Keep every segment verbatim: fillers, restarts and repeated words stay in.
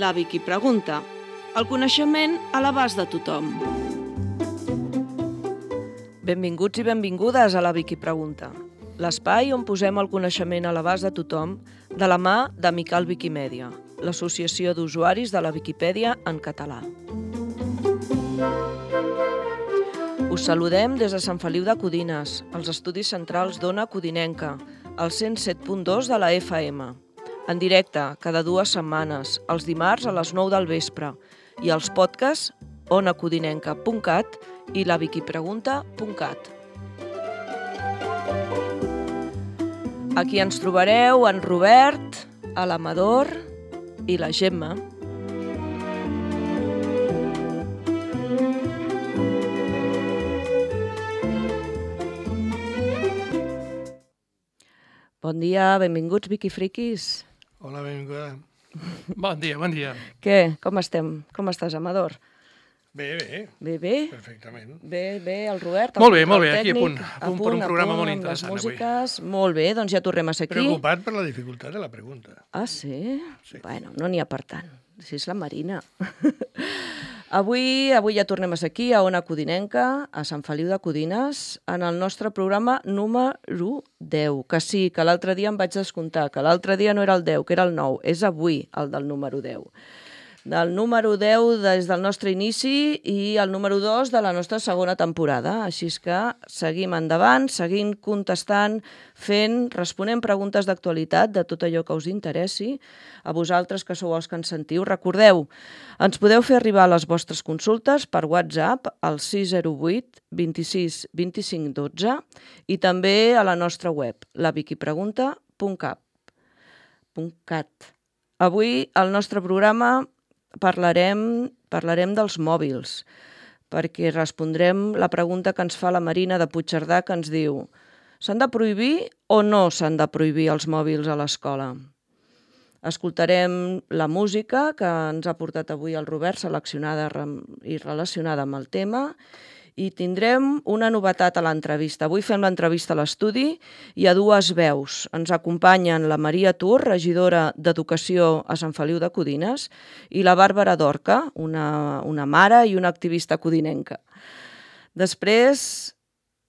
La Vicky Pregunta. El coneixement a l'abast de tothom. Benvinguts i benvingudes a La Vicky Pregunta, l'espai on posem el coneixement a l'abast de tothom de la mà d'Amical Viquimèdia, l'associació d'usuaris de la Viquipèdia en català. Us saludem des de Sant Feliu de Codines, als estudis centrals d'Ona Codinenca, al cent set punt dos de la F M, en directe cada dues setmanes, els dimarts a les nou del vespre, i els podcasts onacodinenca punt cat i la viquipregunta punt cat. Aquí ens trobareu en Robert, a l'Amador i la Gemma. Bon dia, benvinguts, Viquifriquis. Hola, benvinguda. Bon dia, bon dia. Què? Com estem? Com estàs, Amador? Bé, bé. Bé, bé? Perfectament. Bé, bé, el Robert. Molt bé, molt bé, aquí a punt. A punt per un programa molt interessant avui. Músiques. Molt bé, doncs ja tornem a ser aquí. Preocupat per la dificultat de la pregunta. Ah, sí? Sí. Bueno, no n'hi ha per tant. Si és la Marina. Avui, avui ja tornem a ser aquí, a Ona Codinenca, a Sant Feliu de Codines, en el nostre programa número deu, que sí, que l'altre dia em vaig descomptar, que l'altre dia no era el deu, que era el nou, és avui el del número deu. Del número deu des del nostre inici i el número dos de la nostra segona temporada. Així és que seguim endavant, seguim contestant, fent, responent preguntes d'actualitat de tot allò que us interessi. A vosaltres, que sou els que ens sentiu, recordeu, ens podeu fer arribar les vostres consultes per WhatsApp al sis zero vuit vint-i-sis vint-i-cinc dotze i també a la nostra web, la viquipregunta punt cat. Avui, al nostre programa, Parlarem, parlarem dels mòbils, perquè respondrem la pregunta que ens fa la Marina de Puigcerdà, que ens diu: s'han de prohibir o no s'han de prohibir els mòbils a l'escola? Escoltarem la música que ens ha portat avui el Robert, seleccionada i relacionada amb el tema, i tindrem una novetat a l'entrevista. Avui fem l'entrevista a l'estudi i a dues veus. Ens acompanyen la Maria Tur, regidora d'Educació a Sant Feliu de Codines, i la Bàrbara Dorca, una, una mare i una activista codinenca. Després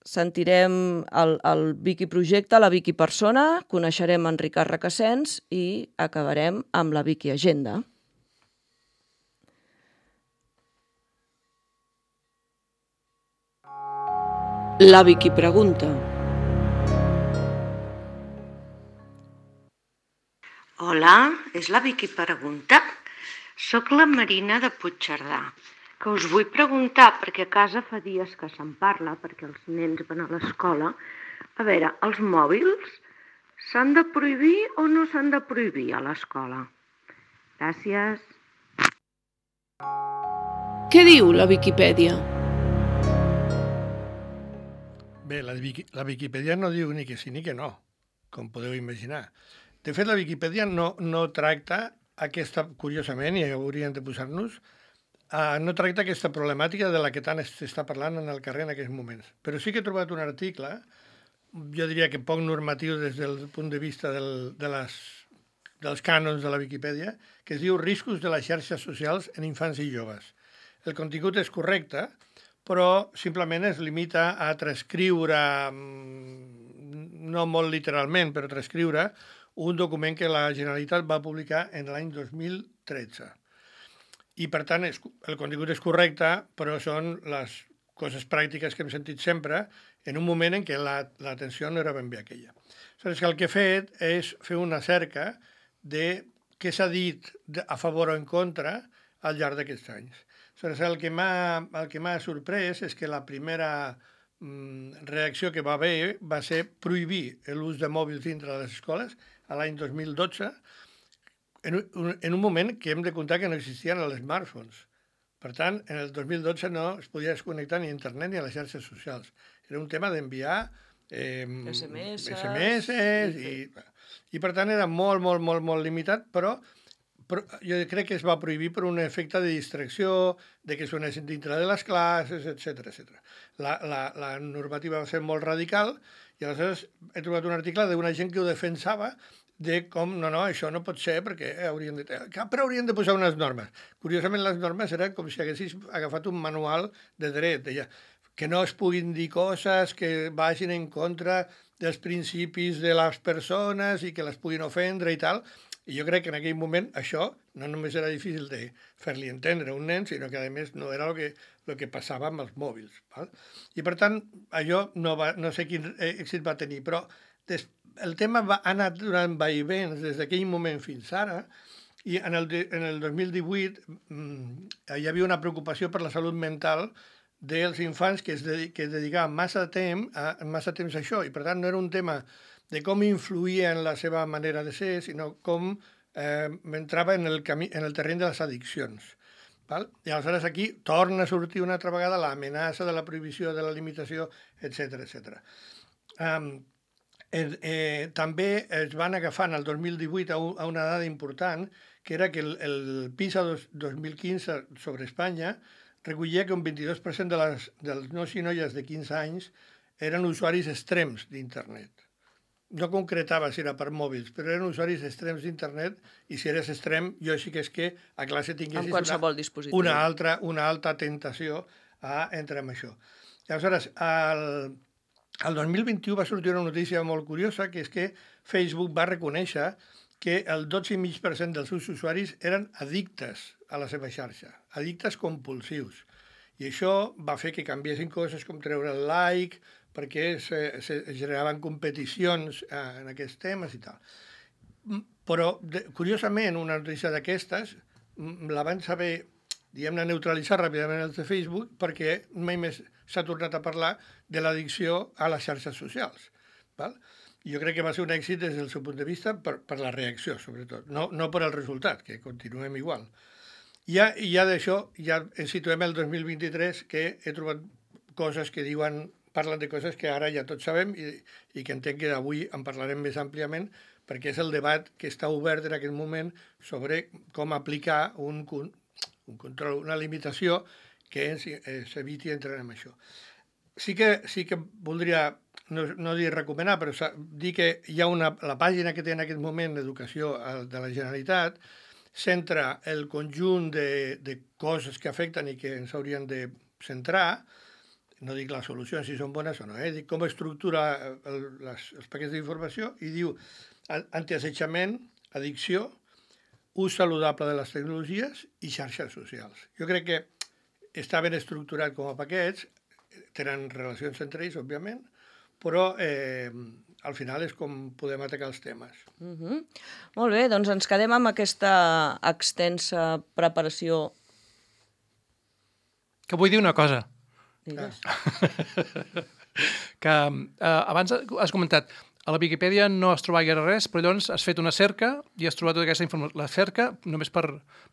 sentirem el, el Vicky Projecte, la Vicky Persona, coneixerem en Ricard Requesens i acabarem amb la Vicky Agenda. La Vicky Pregunta. Hola, és la Vicky Pregunta? Soc la Marina de Puigcerdà, que us vull preguntar, perquè a casa fa dies que se'n parla, perquè els nens van a l'escola. A veure, els mòbils s'han de prohibir o no s'han de prohibir a l'escola? Gràcies. Què diu la Viquipèdia? Bé, la, la Viquipèdia no diu ni que sí ni que no, com podeu imaginar. De fet, la Viquipèdia no, no tracta aquesta, curiosament, i hauríem de posar-nos, uh, no tracta aquesta problemàtica de la que tant s'està parlant en el carrer en aquests moments. Però sí que he trobat un article, jo diria que poc normatiu des del punt de vista del, de les, dels cànons de la Viquipèdia, que es diu Riscos de les xarxes socials en infants i joves. El contingut és correcte, però simplement es limita a transcriure, no molt literalment, però transcriure un document que la Generalitat va publicar en l'any dos mil tretze. I, per tant, és, el contingut és correcte, però són les coses pràctiques que hem sentit sempre en un moment en què l'atenció la, no era ben bé aquella. Aleshores, el que he fet és fer una cerca de què s'ha dit a favor o en contra al llarg d'aquests anys. Aleshores, el que m'ha el que m'ha sorprès és que la primera mm, reacció que va haver va ser prohibir l'ús de mòbils dintre de les escoles a l'any dos mil dotze, en un, en un moment que hem de comptar que no existien els smartphones. Per tant, en el dos mil dotze no es podia desconnectar ni a internet ni a les xarxes socials. Era un tema d'enviar eh, S M S, S M S i, i per tant era molt, molt, molt, molt limitat, però Però jo crec que es va prohibir per un efecte de distracció, de que sonessin dintre de les classes, etcètera, etcètera. La, la, la normativa va ser molt radical i aleshores he trobat un article d'una gent que ho defensava de com, no, no, això no pot ser perquè haurien de... Però haurien de posar unes normes. Curiosament, les normes eren com si haguessis agafat un manual de dret. Deia que no es puguin dir coses que vagin en contra dels principis de les persones i que les puguin ofendre i tal. I jo crec que en aquell moment això no només era difícil de fer-li entendre a un nen, sinó que, a més, no era el que, el que passava amb els mòbils. Val? I, per tant, allò no, va, no sé quin èxit va tenir, però des, el tema va anar durant vaivens des d'aquell moment fins ara, i en el, de, en el dos mil divuit mmm, hi havia una preocupació per la salut mental dels infants que es, dedi que es dedicaven massa temps, a, massa temps a això, i, per tant, no era un tema de com influïa en la seva manera de ser, sinó com eh, entrava en el, camí, en el terreny de les addiccions. Val? I aleshores aquí torna a sortir una altra vegada l'amenaça de la prohibició, de la limitació, etcètera etcètera. Um, eh, eh, també es van agafar en el dos mil divuit a, un, a una dada important, que era que el, el PISA dos, dos mil quinze sobre Espanya recollia que un vint-i-dos per cent de les, dels nois i noies de quinze anys eren usuaris extrems d'internet. No concretava si era per mòbils, però eren usuaris extrems d'internet, i si eres extrem, jo sí que és que a classe tinguessis una, una, altra, una alta tentació a entrar en això. I aleshores, el, el dos mil vint-i-u va sortir una notícia molt curiosa, que és que Facebook va reconèixer que el dotze coma cinc per cent dels seus usuaris eren addictes a la seva xarxa, addictes compulsius. I això va fer que canviessin coses com treure el like, perquè se, se generaven competicions eh, en aquests temes i tal. Però, de, curiosament, una notícia d'aquestes la van saber, diguem-ne, neutralitzar ràpidament els de Facebook, perquè mai més s'ha tornat a parlar de l'addicció a les xarxes socials. Val? Jo crec que va ser un èxit des del seu punt de vista per, per la reacció, sobretot, no, no per el resultat, que continuem igual. Ja, ja d'això, ja ens situem el dos mil vint-i-tres, que he trobat coses que diuen... parlen de coses que ara ja tots sabem i, i que entenc que avui en parlarem més àmpliament, perquè és el debat que està obert en aquest moment sobre com aplicar un, un control, una limitació que s'eviti entrar en això. Sí que, sí que voldria, no, no dir recomanar, però dir que hi ha una, la pàgina que té en aquest moment d'Educació de la Generalitat centra el conjunt de, de coses que afecten i que ens haurien de centrar. No dic les solucions si són bones o no, eh? Dic com estructura el, les, els paquets d'informació, i diu antiassetjament, addicció, ús saludable de les tecnologies i xarxes socials. Jo crec que està ben estructurat com a paquets, tenen relacions entre ells, òbviament, però eh, al final és com podem atacar els temes. Uh-huh. Molt bé, doncs ens quedem amb aquesta extensa preparació. Que vull dir una cosa. Digues. que eh, abans has comentat, a la Viquipèdia no has trobat gaire res, però llavors has fet una cerca i has trobat tota aquesta informació. La cerca, només per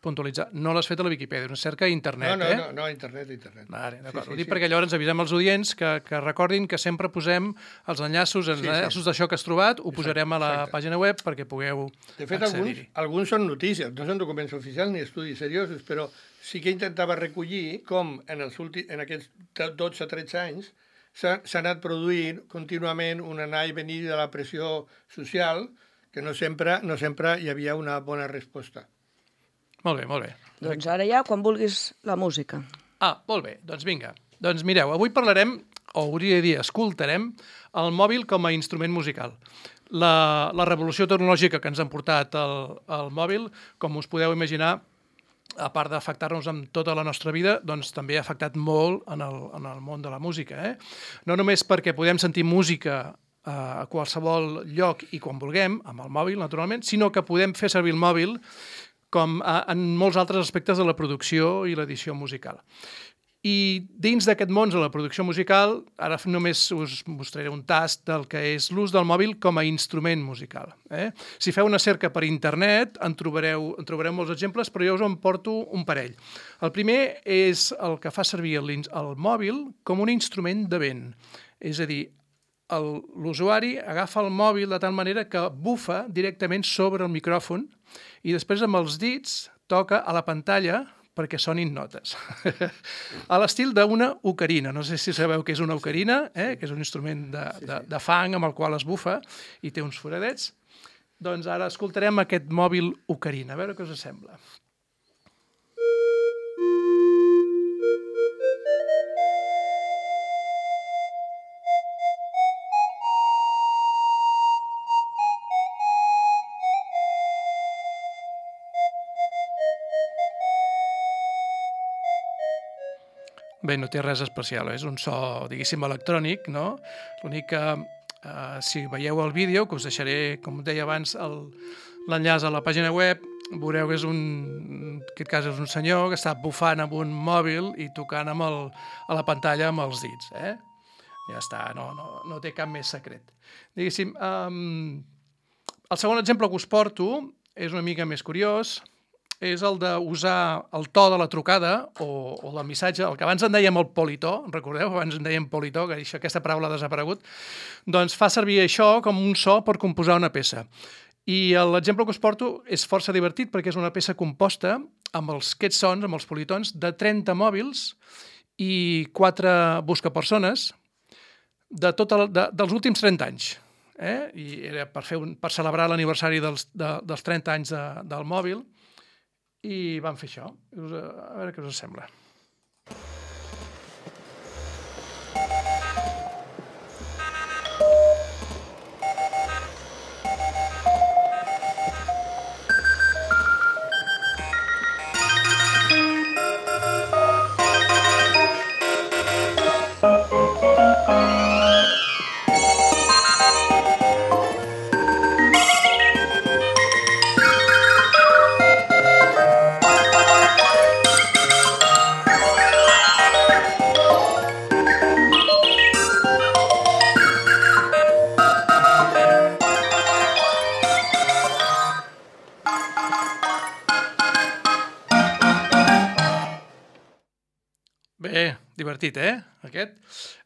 puntualitzar, no l'has fet a la Viquipèdia, una cerca a internet, no, no, eh? No, no, internet, internet. Vale, d'acord. Sí, sí, Ho dic sí. perquè llavors avisem els audients que, que recordin que sempre posem els enllaços, els Sí, sí. enllaços d'això que has trobat, ho Exacte, posarem a la exacte. pàgina web perquè pugueu De fet, alguns, accedir-hi. alguns són notícies, no són documents oficials ni estudis seriosos, però sí que intentava recollir com en, els últims, en aquests dotze a tretze anys s'ha anat produint contínuament un anar i venir de la pressió social, que no sempre, no sempre hi havia una bona resposta. Molt bé, molt bé. Doncs ara ja, quan vulguis, la música. Ah, molt bé, doncs vinga. Doncs mireu, avui parlarem, o hauria de dir, escoltarem, el mòbil com a instrument musical. La, la revolució tecnològica que ens han portat el, el mòbil, com us podeu imaginar, a part d'afectar-nos en tota la nostra vida, doncs també ha afectat molt en el, en el món de la música. Eh? No només perquè podem sentir música eh, a qualsevol lloc i quan vulguem, amb el mòbil, naturalment, sinó que podem fer servir el mòbil com a, en molts altres aspectes de la producció i l'edició musical. I dins d'aquest món de la producció musical, ara només us mostraré un tast del que és l'ús del mòbil com a instrument musical. Eh? Si feu una cerca per internet, en trobareu, en trobareu molts exemples, però jo us en porto un parell. El primer és el que fa servir el, el mòbil com un instrument de vent. És a dir, l'usuari agafa el mòbil de tal manera que bufa directament sobre el micròfon i després amb els dits toca a la pantalla perquè sonin notes. A l'estil d'una ocarina. No sé si sabeu què és una ocarina, eh? Que és un instrument de, de, de fang amb el qual es bufa i té uns foradets. Doncs ara escoltarem aquest mòbil Ocarina, a veure què us sembla. Bé, no té res especial, és un so, diguéssim, electrònic, no? L'únic que, eh, si veieu el vídeo, que us deixaré, com deia abans, l'enllaç a la pàgina web, veureu que és un, en aquest cas és un senyor que està bufant amb un mòbil i tocant amb el, a la pantalla amb els dits, eh? Ja està, no, no, no té cap més secret. Diguéssim, um, el segon exemple que us porto és una mica més curiós, és el d'usar el to de la trucada o, o del missatge, el que abans en dèiem el politó, recordeu? Abans en dèiem politó, que això, aquesta paraula ha desaparegut, doncs fa servir això com un so per composar una peça. I l'exemple que us porto és força divertit perquè és una peça composta amb els, aquests sons, amb els politons, de trenta mòbils i quatre buscapersones de tot el, de, dels últims trenta anys. Eh? I era per, fer un, per celebrar l'aniversari dels, de, dels trenta anys de, del mòbil, i vam fer això. A veure què us sembla. Bé, divertit, eh, aquest.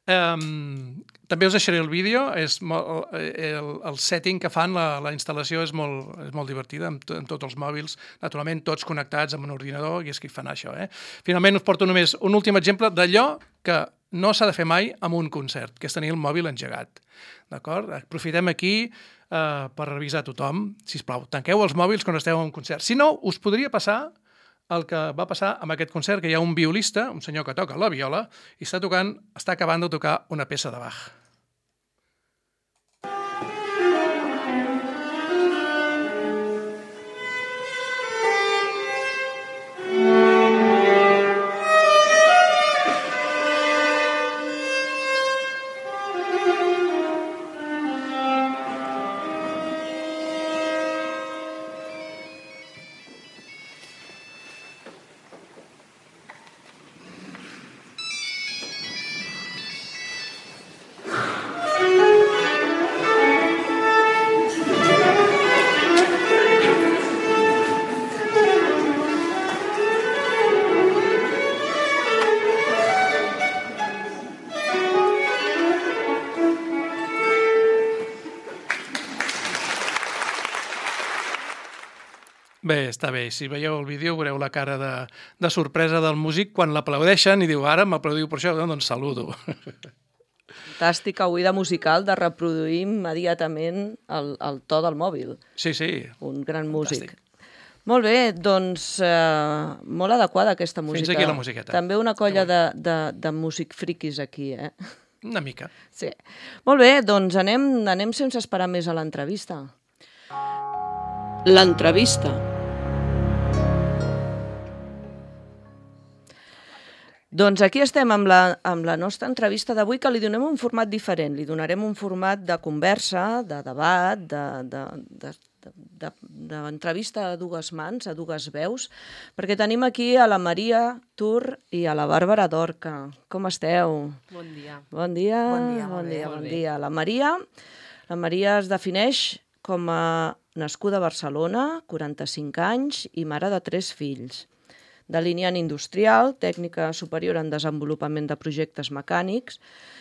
Um, també us deixaré el vídeo, és molt, el, el setting que fan, la, la instal·lació és molt, és molt divertida, amb, amb tots els mòbils, naturalment tots connectats amb un ordinador, i és que fan això. Eh? Finalment us porto només un últim exemple d'allò que no s'ha de fer mai amb un concert, que és tenir el mòbil engegat. D'acord? Aprofitem aquí uh, per revisar tothom. Sisplau, tanqueu els mòbils quan esteu en un concert. Si no, us podria passar el que va passar amb aquest concert, que hi ha un violista, un senyor que toca la viola, i està tocant, està acabant de tocar una peça de Bach. Bé, està bé. Si veieu el vídeo veureu la cara de, de sorpresa del músic quan l'aplaudeixen i diu, ara m'aplaudiu per això, doncs saludo. Fantàstica oïda musical de reproduir immediatament el, el to del mòbil. Sí, sí. Un gran músic. Fantàstic. Molt bé, doncs eh, molt adequada aquesta música. Fins aquí la musiqueta. També una colla de, de, de músic friquis aquí, eh? Una mica. Sí. Molt bé, doncs anem, anem sense esperar més a l'entrevista. L'entrevista. Doncs aquí estem amb la, amb la nostra entrevista d'avui, que li donem un format diferent. Li donarem un format de conversa, de debat, d'entrevista a dues mans, a dues veus, perquè tenim aquí a la Maria Tur i a la Bàrbara Dorca. Com esteu? Bon dia. Bon dia. Bon dia, bon dia, bon bon bé. dia. La Maria, la Maria es defineix com a nascuda a Barcelona, quaranta-cinc anys i mare de tres fills. Delineant industrial, tècnica superior en desenvolupament de projectes mecànics,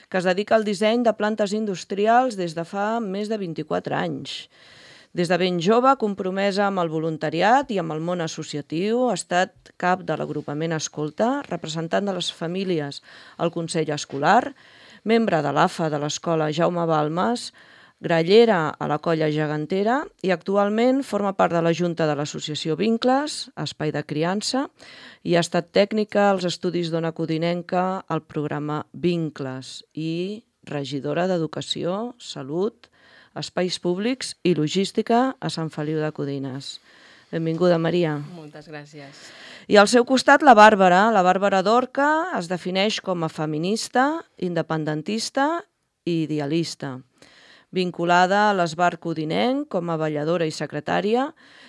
que es dedica al disseny de plantes industrials des de fa més de vint-i-quatre anys. Des de ben jove, compromesa amb el voluntariat i amb el món associatiu, ha estat cap de l'agrupament Escolta, representant de les famílies al Consell Escolar, membre de l'A F A de l'Escola Jaume Balmes, grallera a la Colla Gegantera i actualment forma part de la Junta de l'Associació Vincles, Espai de Criança, i ha estat tècnica als estudis d'Ona Codinenca al programa Vincles i regidora d'Educació, Salut, Espais Públics i Logística a Sant Feliu de Codines. Benvinguda, Maria. Moltes gràcies. I al seu costat la Bàrbara. La Bàrbara Dorca es defineix com a feminista, independentista i idealista, vinculada a l'Esbar Codinenc com a balladora i secretària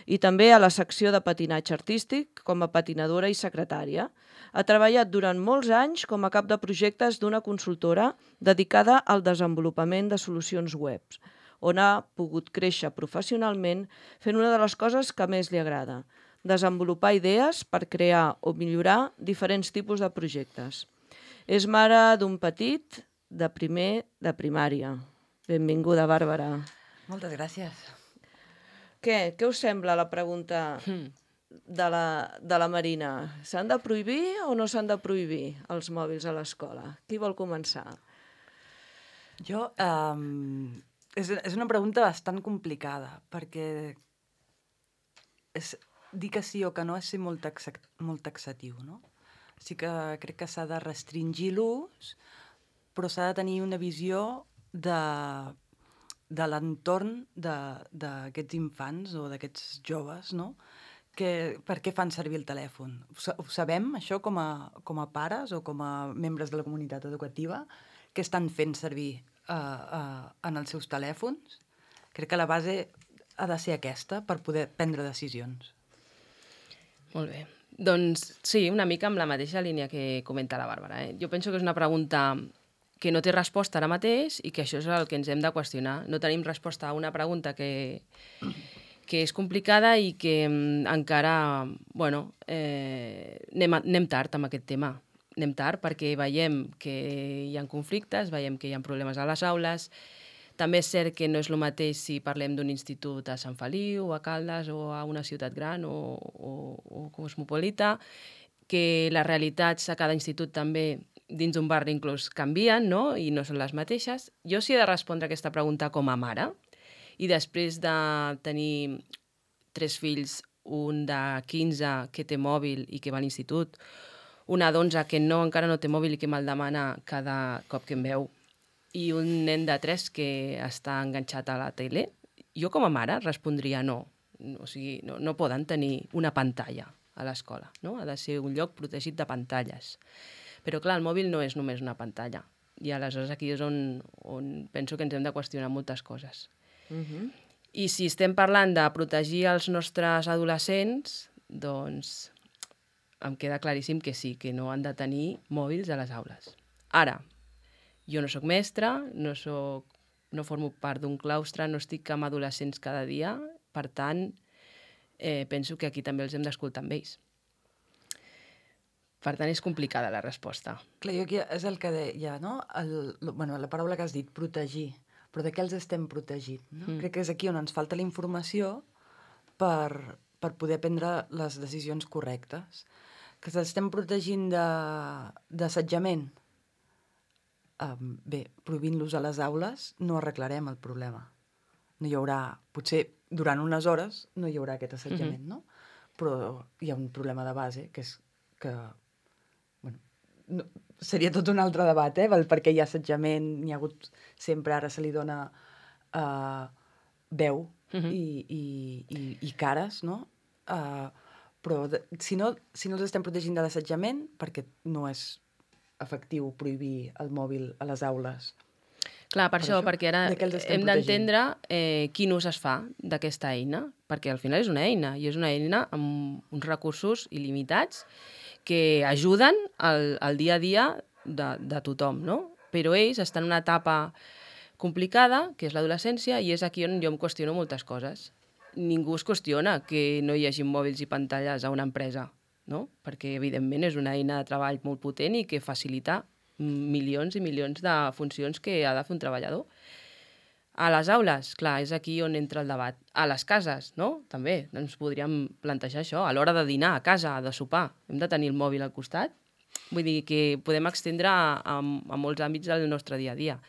i també a la secció de patinatge artístic com a patinadora i secretària. Ha treballat durant molts anys com a cap de projectes d'una consultora dedicada al desenvolupament de solucions web, on ha pogut créixer professionalment fent una de les coses que més li agrada, desenvolupar idees per crear o millorar diferents tipus de projectes. És mare d'un petit de primer de primària. Benvinguda, Bàrbara. Moltes gràcies. Què? Què us sembla la pregunta de la, de la Marina? S'han de prohibir o no s'han de prohibir els mòbils a l'escola? Qui vol començar? Jo... Um, és, és una pregunta bastant complicada, perquè és, dir que sí o que no és ser molt, taxa, molt taxatiu, no? Sí que crec que s'ha de restringir l'ús, però s'ha de tenir una visió de, de l'entorn d'aquests infants o d'aquests joves, no? Que, per què fan servir el telèfon? Ho sabem, això, com a, com a pares o com a membres de la comunitat educativa, que estan fent servir uh, uh, en els seus telèfons? Crec que la base ha de ser aquesta per poder prendre decisions. Molt bé. Doncs sí, una mica amb la mateixa línia que comenta la Bàrbara. Eh? Jo penso que és una pregunta que no té resposta ara mateix i que això és el que ens hem de qüestionar. No tenim resposta a una pregunta que, que és complicada i que encara, bueno, eh, anem, anem tard amb aquest tema. Anem tard perquè veiem que hi ha conflictes, veiem que hi ha problemes a les aules. També és cert que no és el mateix si parlem d'un institut a Sant Feliu, a Caldes o a una ciutat gran o, o, o cosmopolita, que les realitats a cada institut també dins d'un barri inclús canvien, no? I no són les mateixes. Jo sí he de respondre a aquesta pregunta com a mare i després de tenir tres fills, un de quinze que té mòbil i que va a l'institut, una d'onze que no, encara no té mòbil i que me'l demana cada cop que em veu, i un nen de tres que està enganxat a la tele, jo com a mare respondria no. O sigui, no, no poden tenir una pantalla a l'escola, no? Ha de ser un lloc protegit de pantalles. Però clar, el mòbil no és només una pantalla. I aleshores aquí és on, on penso que ens hem de qüestionar moltes coses. Uh-huh. I si estem parlant de protegir els nostres adolescents, doncs em queda claríssim que sí, que no han de tenir mòbils a les aules. Ara, jo no sóc mestra, no, soc, no formo part d'un claustre, no estic amb adolescents cada dia, per tant, eh, penso que aquí també els hem d'escoltar amb ells. Per tant, és complicada la resposta. Clar, jo aquí és el que deia, no? El, bueno, la paraula que has dit, protegir. Però de què els estem protegint? No? Mm. Crec que és aquí on ens falta la informació per, per poder prendre les decisions correctes. Que s'estem protegint d'assetjament. Um, bé, prohibint-los a les aules no arreglarem el problema. No hi haurà, potser durant unes hores no hi haurà aquest assetjament, mm-hmm. no? Però hi ha un problema de base, que és que, bueno, no, seria tot un altre debat, eh? Perquè hi ha assetjament, n'hi ha hagut sempre, ara se li dona uh, veu mm-hmm. i, i, i, i cares, no? Uh, però de, si, no, si no els estem protegint de l'assetjament, perquè no és efectiu prohibir el mòbil a les aules. Clar, per, per això, això, perquè ara hem d'entendre eh, quin ús es fa d'aquesta eina, perquè al final és una eina, i és una eina amb uns recursos il·limitats que ajuden al, al dia a dia de, de tothom, no? Però ells estan en una etapa complicada, que és l'adolescència, i és aquí on jo em qüestiono moltes coses. Ningú es qüestiona que no hi hagi mòbils i pantalles a una empresa, no? Perquè, evidentment, és una eina de treball molt potent i que facilita milions i milions de funcions que ha de fer un treballador. A les aules, clar, és aquí on entra el debat. A les cases, no? També ens podríem plantejar això. A l'hora de dinar, a casa, de sopar, hem de tenir el mòbil al costat? Vull dir que podem extendre a, a, a molts àmbits del nostre dia a dia.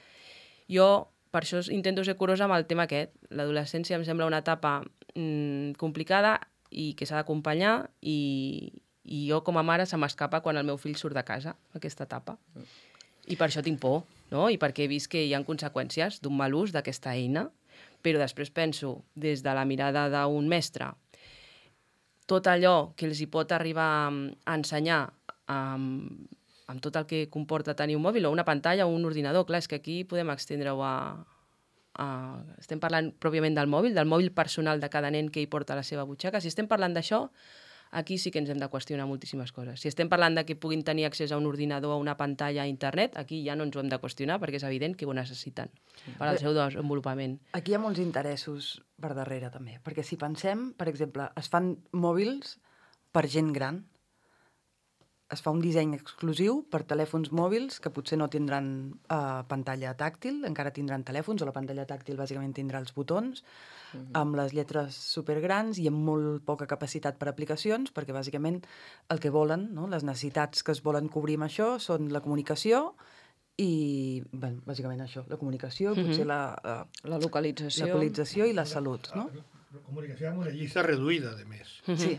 Jo, per això intento ser curosa amb el tema aquest. L'adolescència em sembla una etapa mm, complicada i que s'ha d'acompanyar i, i jo com a mare se m'escapa quan el meu fill surt de casa, aquesta etapa. I per això tinc por, no? I perquè he vist que hi ha conseqüències d'un mal ús d'aquesta eina, però després penso, des de la mirada d'un mestre, tot allò que els hi pot arribar a ensenyar amb, amb tot el que comporta tenir un mòbil o una pantalla o un ordinador. Clar, és que aquí podem extendre-ho a, a... Estem parlant pròpiament del mòbil, del mòbil personal de cada nen que hi porta a la seva butxaca. Si estem parlant d'això, aquí sí que ens hem de qüestionar moltíssimes coses. Si estem parlant de que puguin tenir accés a un ordinador, a una pantalla, a internet, aquí ja no ens ho hem de qüestionar perquè és evident que ho necessiten per al seu desenvolupament. Aquí hi ha molts interessos per darrere, també. Perquè si pensem, per exemple, es fan mòbils per gent gran, es fa un disseny exclusiu per telèfons mòbils que potser no tindran uh, pantalla tàctil, encara tindran telèfons, o la pantalla tàctil bàsicament tindrà els botons, uh-huh. amb les lletres supergrans i amb molt poca capacitat per aplicacions, perquè bàsicament el que volen, no? Les necessitats que es volen cobrir amb això són la comunicació i, bueno, bàsicament això, la comunicació, uh-huh. potser la, uh, la localització. la localització i la salut, no? La comunicació amb una llista reduïda, de més. Uh-huh. Sí.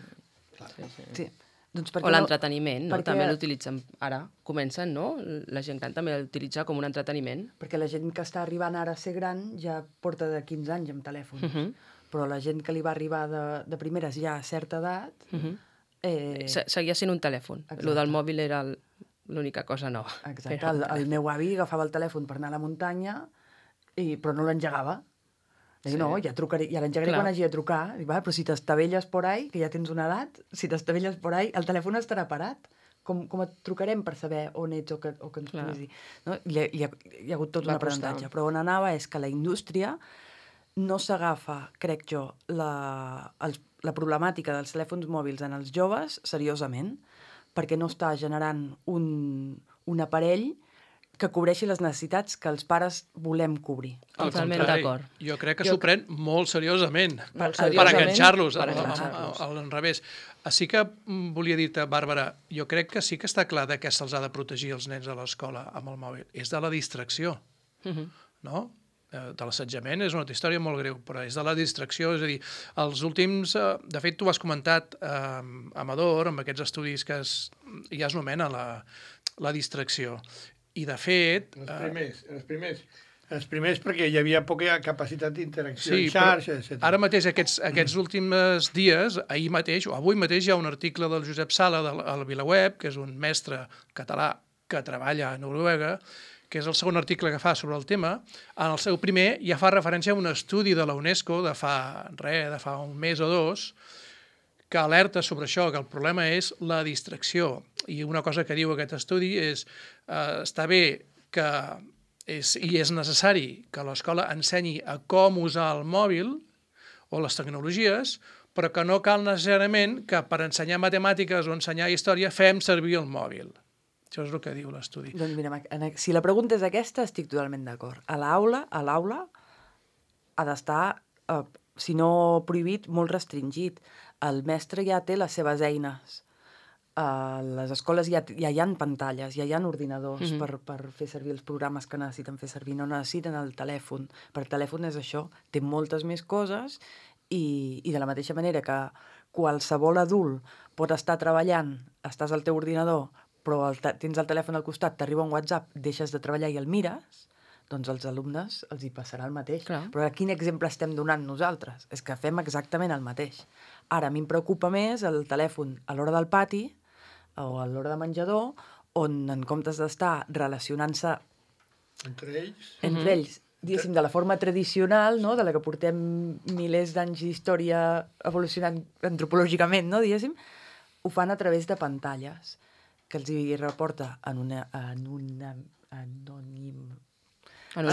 Clar. sí, sí. sí. Doncs O l'entreteniment, no? perquè... També l'utilitzen ara. Comencen, no? La gent gran també l'utilitza com un entreteniment. Perquè la gent que està arribant ara a ser gran ja porta de quinze anys amb telèfons. Uh -huh. Però la gent que li va arribar de, de primeres ja a certa edat... Uh -huh. eh... Se Seguia sent un telèfon. Lo del mòbil era l'única cosa nova. Exacte. El, el meu avi agafava el telèfon per anar a la muntanya, i, però no l'engegava. Dic, sí. no, ja, trucaré, ja l'engegaré quan hagi de trucar. Dic, va, però si t'estavelles por ahí, que ja tens una edat, si t'estavelles por ahí, el telèfon estarà parat. Com, com et trucarem per saber on ets o que, o que ens Clar. puguis dir? No? Hi, ha, hi, ha, hi ha hagut tot Va un aprenentatge. Però on anava és que la indústria no s'agafa, crec jo, la, els, la problemàtica dels telèfons mòbils en els joves seriosament, perquè no està generant un, un aparell que cobreixi les necessitats que els pares volem cobrir. Al Totalment contrari, d'acord. Jo crec que s'ho pren molt seriosament, Molt per seriosament, enganxar-los, per al, al, enganxar-los. al, al revés. Sí que mm, volia dir-te, Bàrbara, jo crec que sí que està clar de què se'ls ha de protegir els nens a l'escola amb el mòbil. És de la distracció, Uh -huh. no? Eh, de l'assetjament és una altra història molt greu, però és de la distracció, és a dir, els últims... Eh, de fet, tu ho has comentat, eh, Amador, amb aquests estudis que es, ja es nomena la, la distracció. I, de fet... Els primers, els primers, els primers perquè hi havia poca capacitat d'interacció Sí, en xarxa, però etcètera. ara mateix, aquests, aquests últims dies, ahir mateix, o avui mateix, hi ha un article del Josep Sala, del, al VilaWeb, que és un mestre català que treballa a Noruega, que és el segon article que fa sobre el tema. En el seu primer ja fa referència a un estudi de la UNESCO de fa, res, de fa un mes o dos, que alerta sobre això, que el problema és la distracció. I una cosa que diu aquest estudi és eh, està bé que és, i és necessari que l'escola ensenyi a com usar el mòbil o les tecnologies, però que no cal necessàriament que per ensenyar matemàtiques o ensenyar història fem servir el mòbil. Això és el que diu l'estudi. Doncs mira, si la pregunta és aquesta, estic totalment d'acord. A l'aula, a l'aula ha d'estar, eh, si no prohibit, molt restringit. El mestre ja té les seves eines. A les escoles ja, ja hi ha pantalles, ja hi ha ordinadors mm-hmm. per, per fer servir els programes que necessiten fer servir. No necessiten el telèfon. Per telèfon és això. Té moltes més coses i, i de la mateixa manera que qualsevol adult pot estar treballant, estàs al teu ordinador, però el tens el telèfon al costat, t'arriba un WhatsApp, deixes de treballar i el mires, doncs als alumnes els hi passarà el mateix. Clar. Però quin exemple estem donant nosaltres? És que fem exactament el mateix. Ara, a mi em preocupa més el telèfon a l'hora del pati o a l'hora de menjador, on en comptes d'estar relacionant-se Entre ells? entre mm-hmm. ells, diguéssim, de la forma tradicional, no? De la que portem milers d'anys d'història evolucionant antropològicament, no? Diguéssim, ho fan a través de pantalles que els hi reporta en una, en una anònim...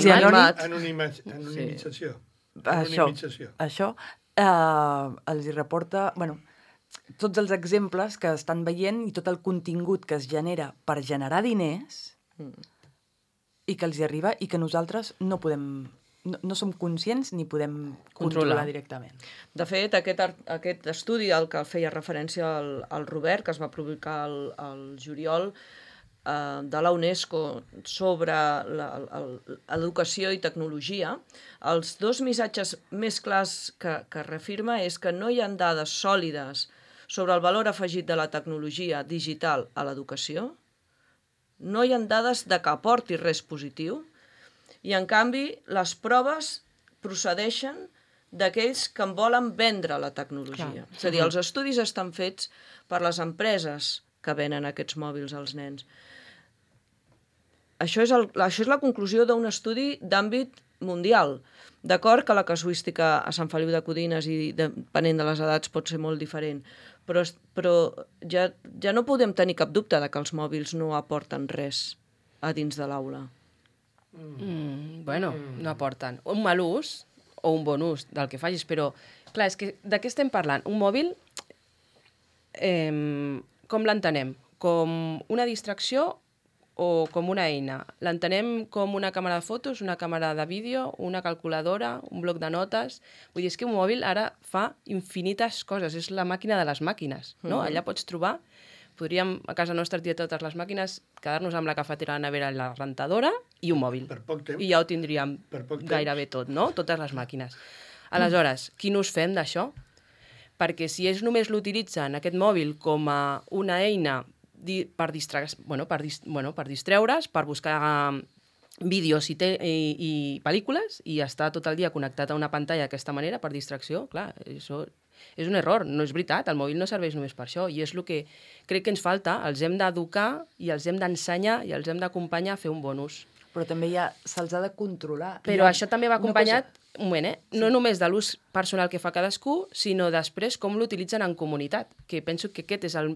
Sí, anònim. Anonima, anonimització. Sí. Això, això eh, els hi reporta... Bueno, tots els exemples que estan veient i tot el contingut que es genera per generar diners mm. i que els hi arriba i que nosaltres no podem... No, no som conscients ni podem controlar, controlar directament. De fet, aquest, aquest estudi al que feia referència el, el Robert, que es va publicar al, al juliol, eh, de la UNESCO sobre l'educació i tecnologia, els dos missatges més clars que, que reafirma és que no hi ha dades sòlides sobre el valor afegit de la tecnologia digital a l'educació, no hi ha dades de que aporti res positiu, i en canvi les proves procedeixen d'aquells que en volen vendre la tecnologia. Clar. És a dir, els estudis estan fets per les empreses que venen aquests mòbils als nens. Això és, el, això és la conclusió d'un estudi d'àmbit mundial. D'acord que la casuística a Sant Feliu de Codines i depenent de les edats pot ser molt diferent, però, però ja, ja no podem tenir cap dubte de que els mòbils no aporten res a dins de l'aula. Mm, bueno, no aporten. Un mal ús o un bon ús del que facis, però, clar, és que de què estem parlant? Un mòbil, eh, com l'entenem? Com una distracció o com una eina? L'entenem com una càmera de fotos, una càmera de vídeo, una calculadora, un bloc de notes... Vull dir, és que un mòbil ara fa infinites coses, és la màquina de les màquines, no? Mm-hmm. Allà pots trobar... Podríem, a casa nostra, tirar totes les màquines, quedar-nos amb la cafetera, la nevera i la rentadora i un mòbil. Per poc temps. I ja ho tindríem gairebé tot, no? Totes les màquines. Aleshores, quin ús fem d'això? Perquè si ells només l'utilitzen, aquest mòbil, com a una eina di per, distra bueno, per, dis bueno, per distreure's, per buscar vídeos i, i, i pel·lícules, i estar tot el dia connectat a una pantalla d'aquesta manera, per distracció, clar, això... És un error, no és veritat, el mòbil no serveix només per això, i és el que crec que ens falta, els hem d'educar i els hem d'ensenyar i els hem d'acompanyar a fer un bon ús. Però també ja se'ls ha de controlar. Però ha... això també va acompanyat, cosa... un moment, eh? Sí. No només de l'ús personal que fa cadascú, sinó després com l'utilitzen en comunitat, que penso que aquest és el,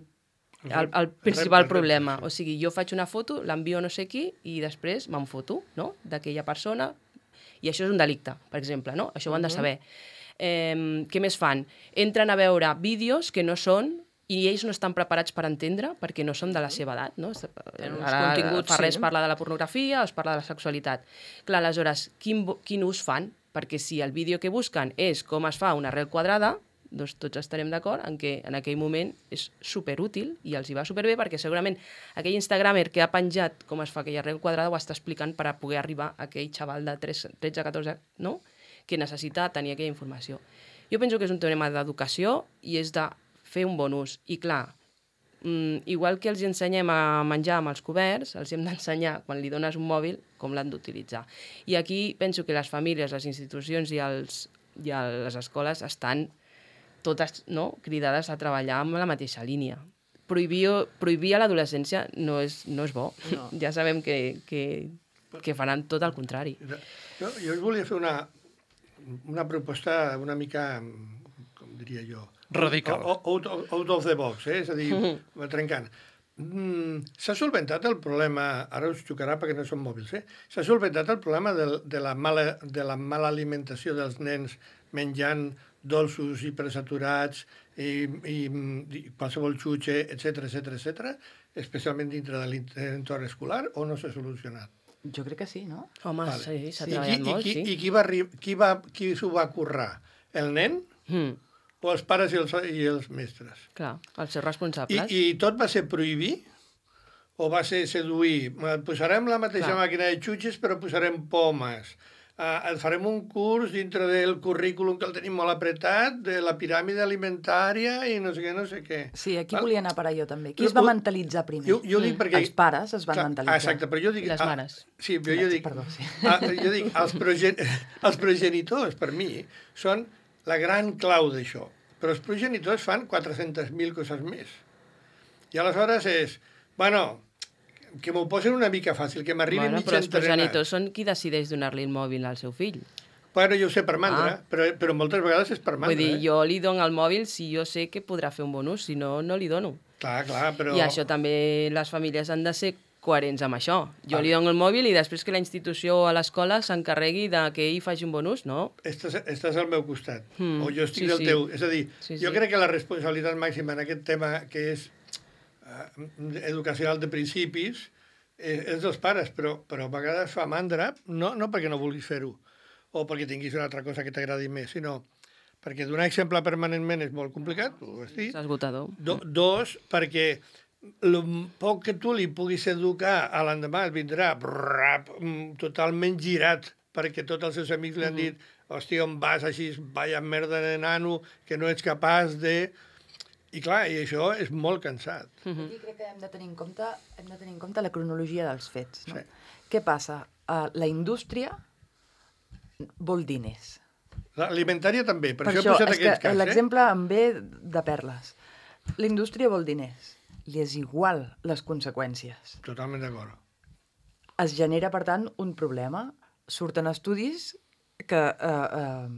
el, el principal problema. O sigui, jo faig una foto, l'envio a no sé qui, i després me'n foto, no?, d'aquella persona, i això és un delicte, per exemple, no? Això ho han de saber. Eh, què més fan? Entren a veure vídeos que no són i ells no estan preparats per entendre perquè no són de la seva edat, no? Ara fa res parla de la pornografia o es parla de la sexualitat. Clar, aleshores, quin, quin ús fan? Perquè si el vídeo que busquen és com es fa una arrel quadrada, doncs tots estarem d'acord en que en aquell moment és superútil i els hi va superbé perquè segurament aquell instagramer que ha penjat com es fa aquella arrel quadrada ho està explicant per a poder arribar a aquell xaval de tretze a catorze, no?, que necessita tenir aquella informació. Jo penso que és un tema d'educació i és de fer un bon ús. I clar, mm, igual que els ensenyem a menjar amb els coberts, els hem d'ensenyar, quan li dones un mòbil, com l'han d'utilitzar. I aquí penso que les famílies, les institucions i, els, i les escoles estan totes, no?, cridades a treballar amb la mateixa línia. Prohibir, prohibir a l'adolescència no, és, no és bo. No. Ja sabem que, que, que faran tot el contrari. Jo, jo us volia fer una... una proposta una mica, com diria jo... Radical. Out, out of the box, eh? És a dir, mm-hmm. trencant. Mm, S'ha solventat el problema, ara us xocarà perquè no són mòbils, eh? S'ha solventat el problema de, de, la mala, de la mala alimentació dels nens menjant dolços hipersaturats i, i, i qualsevol xutxe, etcètera, etcètera, etcètera, especialment dintre de l'entorn escolar, o no s'ha solucionat? Jo crec que sí, no? Home, vale. Sí, s'ha sí, treballat i, molt, i, sí. I qui, va, qui, va, qui s'ho va currar? El nen mm. o els pares i els, i els mestres? Clar, els seus responsables. I, I tot va ser prohibir o va ser seduir? Posarem la mateixa Clar. màquina de xutxes però posarem pomes. Uh, farem un curs dintre del currículum que el tenim molt apretat, de la piràmide alimentària i no sé què, no sé què. Sí, aquí Val? volia anar per allò també. Qui es va mentalitzar primer? Jo, jo dic perquè... Els pares es van Clar, mentalitzar. Exacte, però jo dic... Les mares. Ah, sí, però jo dic... Perdó, sí. Ah, jo dic, els, progen... els progenitors, per mi, són la gran clau d'això. Però els progenitors fan quatre-centes mil coses més. I aleshores és... Bueno... que m'ho posen una mica fàcil, que m'arribi bueno, mig entrenat. Però els entrenat. progenitors són qui decideix donar-li el mòbil al seu fill. Bueno, jo ho sé per mandra, ah. però, però moltes vegades és per mandra. Vull dir, eh? jo li dono el mòbil si jo sé que podrà fer un bon ús, si no, no li dono. Clar, clar, però... I això també les famílies han de ser coherents amb això. Jo ah. li dono el mòbil i després que la institució a l'escola s'encarregui de que ell faci un bon ús, no? Estàs, estàs al meu costat, mm. o jo estic sí, del sí. teu. És a dir, sí, jo sí. crec que la responsabilitat màxima en aquest tema, que és uh, educacional de principis, és dels pares, però, però a vegades fa mandra, no, no perquè no vulguis fer-ho, o perquè tinguis una altra cosa que t'agradi més, sinó perquè donar exemple permanentment és molt complicat, ho has dit. És esgotador. Do, dos, perquè el poc que tu li puguis educar a l'endemà et vindrà brrrap, totalment girat, perquè tots els seus amics li han dit hòstia, on vas així, vaya merda de nano, que no ets capaç de... I clar, i això és molt cansat. Aquí crec que hem de tenir en compte, hem de tenir en compte la cronologia dels fets. No? Sí. Què passa? Uh, la indústria vol diners. L'alimentària també, per, Per això he això, posat és aquests que cas, eh? l'exemple em ve de perles. La indústria vol diners. Li és igual les conseqüències. Totalment d'acord. Es genera, per tant, un problema. Surten estudis que eh, eh,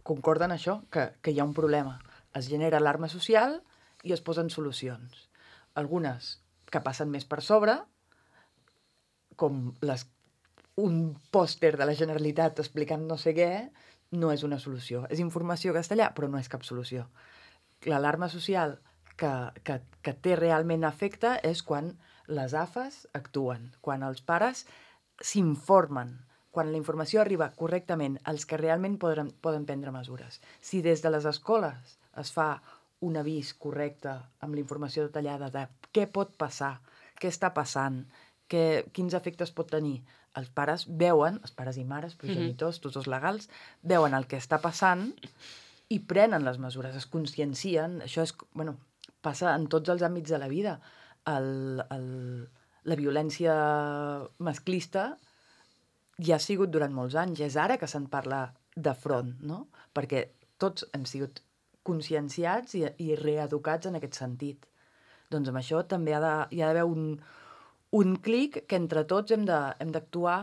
concorden això, que, que hi ha un problema. Es genera alarma social i es posen solucions. Algunes que passen més per sobre, com les, un pòster de la Generalitat explicant no sé què, no és una solució. És informació castellà, però no és cap solució. L'alarma social que, que, que té realment efecte és quan les A F As actuen, quan els pares s'informen, quan la informació arriba correctament als que realment poden, poden prendre mesures. Si des de les escoles es fa un avís correcte amb la informació detallada de què pot passar, què està passant, què, quins efectes pot tenir, els pares veuen, els pares i mares, progenitors, tutors legals, veuen el que està passant i prenen les mesures, es consciencien. Això és, bueno, passa en tots els àmbits de la vida. El, el, la violència masclista ja ha sigut durant molts anys, és ara que se'n parla de front, no? Perquè tots hem sigut conscienciats i, i reeducats en aquest sentit. Doncs amb això també ha de, hi ha d'haver un, un clic que entre tots hem de, hem d'actuar,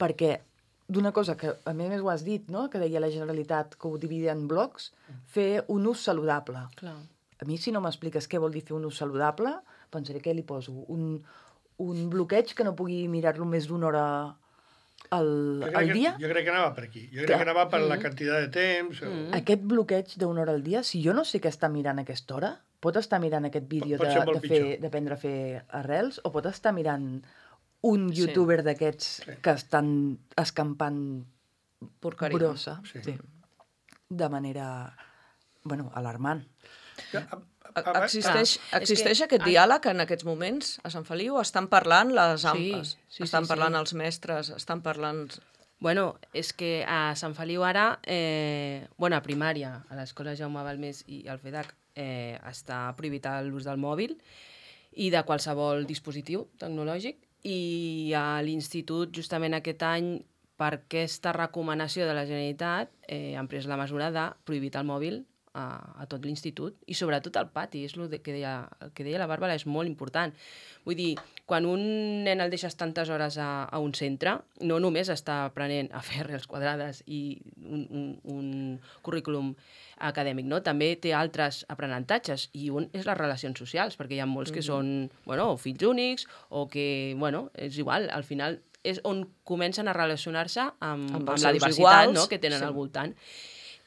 perquè d'una cosa que a més ho has dit, no? Que deia la Generalitat que ho dividia en blocs, fer un ús saludable. Clar. A mi, si no m'expliques què vol dir fer un ús saludable, pensaré què li poso. Un, un bloqueig que no pugui mirar-lo més d'una hora al, al que, dia? Jo crec que anava per aquí. Jo crec Clar. que anava per la quantitat de temps. O... Aquest bloqueig d'una hora al dia, si jo no sé què està mirant a aquesta hora, pot estar mirant aquest vídeo Pot de, ser molt de fer, pitjor. d'aprendre a fer arrels, o pot estar mirant un Sí. youtuber d'aquests Sí. que estan escampant Porqueria. brossa, Sí. sí. de manera, bueno, alarmant. Existeix, Clar, existeix és que- aquest diàleg en aquests moments a Sant Feliu? Estan parlant les A M P As, Sí, sí, estan sí, parlant sí. els mestres, estan parlant... Bueno, és que a Sant Feliu ara, eh, bueno, a primària, a l'escola Jaume Balmés i al FEDAC, eh, està prohibit l'ús del mòbil i de qualsevol dispositiu tecnològic, i a l'institut, justament aquest any, per aquesta recomanació de la Generalitat, eh, han pres la mesura de prohibir el mòbil a, a tot l'institut, i sobretot al pati, és el que deia, el que deia la Bàrbara, és molt important. Vull dir, quan un nen el deixes tantes hores a, a un centre, no només està aprenent a fer arrels quadrades i un, un, un currículum acadèmic, no? També té altres aprenentatges, i un és les relacions socials, perquè hi ha molts que són, bueno, fills únics, o que, bueno, és igual, al final és on comencen a relacionar-se amb, Amb amb, els la seus diversitat, iguals, no?, que tenen sí. al voltant.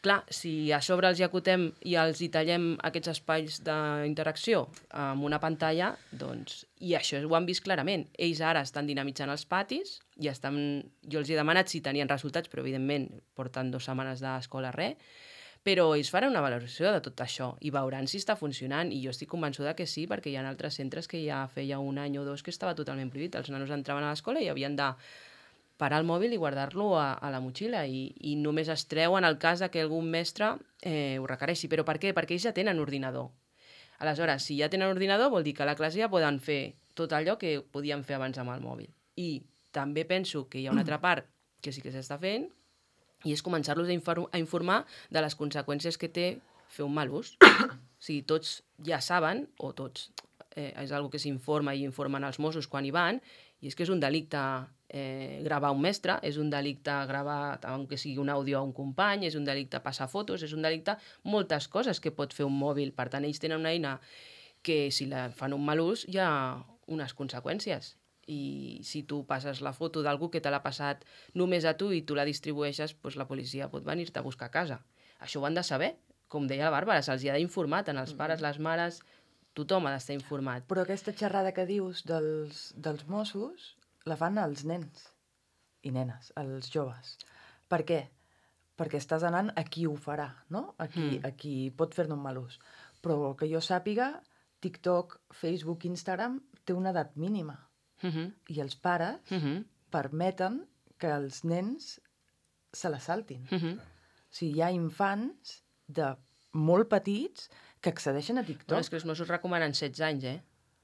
Clar, si a sobre els hi acotem i els hi tallem aquests espais d'interacció amb una pantalla, doncs, i això ho han vist clarament. Ells ara estan dinamitzant els patis, i estan, jo els he demanat si tenien resultats, però evidentment porten dues setmanes d'escola res, però ells faran una valoració de tot això i veuran si està funcionant, i jo estic convençuda que sí, perquè hi ha altres centres que ja feia un any o dos que estava totalment prohibit. Els nanos entraven a l'escola i havien de parar el mòbil i guardar-lo a, a la motxilla, i, i només es treu en el cas que algun mestre eh, ho requereixi. Però per què? Perquè ells ja tenen ordinador. Aleshores, si ja tenen ordinador, vol dir que a la classe ja poden fer tot allò que podien fer abans amb el mòbil. I també penso que hi ha una altra part que sí que s'està fent, i és començar-los a, infor a informar de les conseqüències que té fer un mal ús. O sigui, tots ja saben, o tots, eh, és una que s'informa i informen els Mossos quan hi van, i és que és un delicte eh, gravar un mestre, és un delicte gravar, aunque sigui un àudio a un company, és un delicte passar fotos, és un delicte moltes coses que pot fer un mòbil. Per tant, ells tenen una eina que, si la fan un mal ús, hi ha unes conseqüències. I si tu passes la foto d'algú que te l'ha passat només a tu i tu la distribueixes, doncs la policia pot venir-te a buscar a casa. Això ho han de saber, com deia la Bàrbara, se'ls ha d'informar, tant els pares, les mares, tothom ha d'estar informat. Però aquesta xerrada que dius dels, dels Mossos la fan els nens i nenes, els joves. Per què? Perquè estàs anant a qui ho farà, no? A qui, Mm. a qui pot fer-ne un mal ús. Però que jo sàpiga, TikTok, Facebook, Instagram té una edat mínima. Uh -huh. I els pares Uh -huh. permeten que els nens se la saltin. Uh -huh. O sigui, hi ha infants de molt petits que accedeixen a TikTok. Però és que els Mossos recomanen setze anys, eh?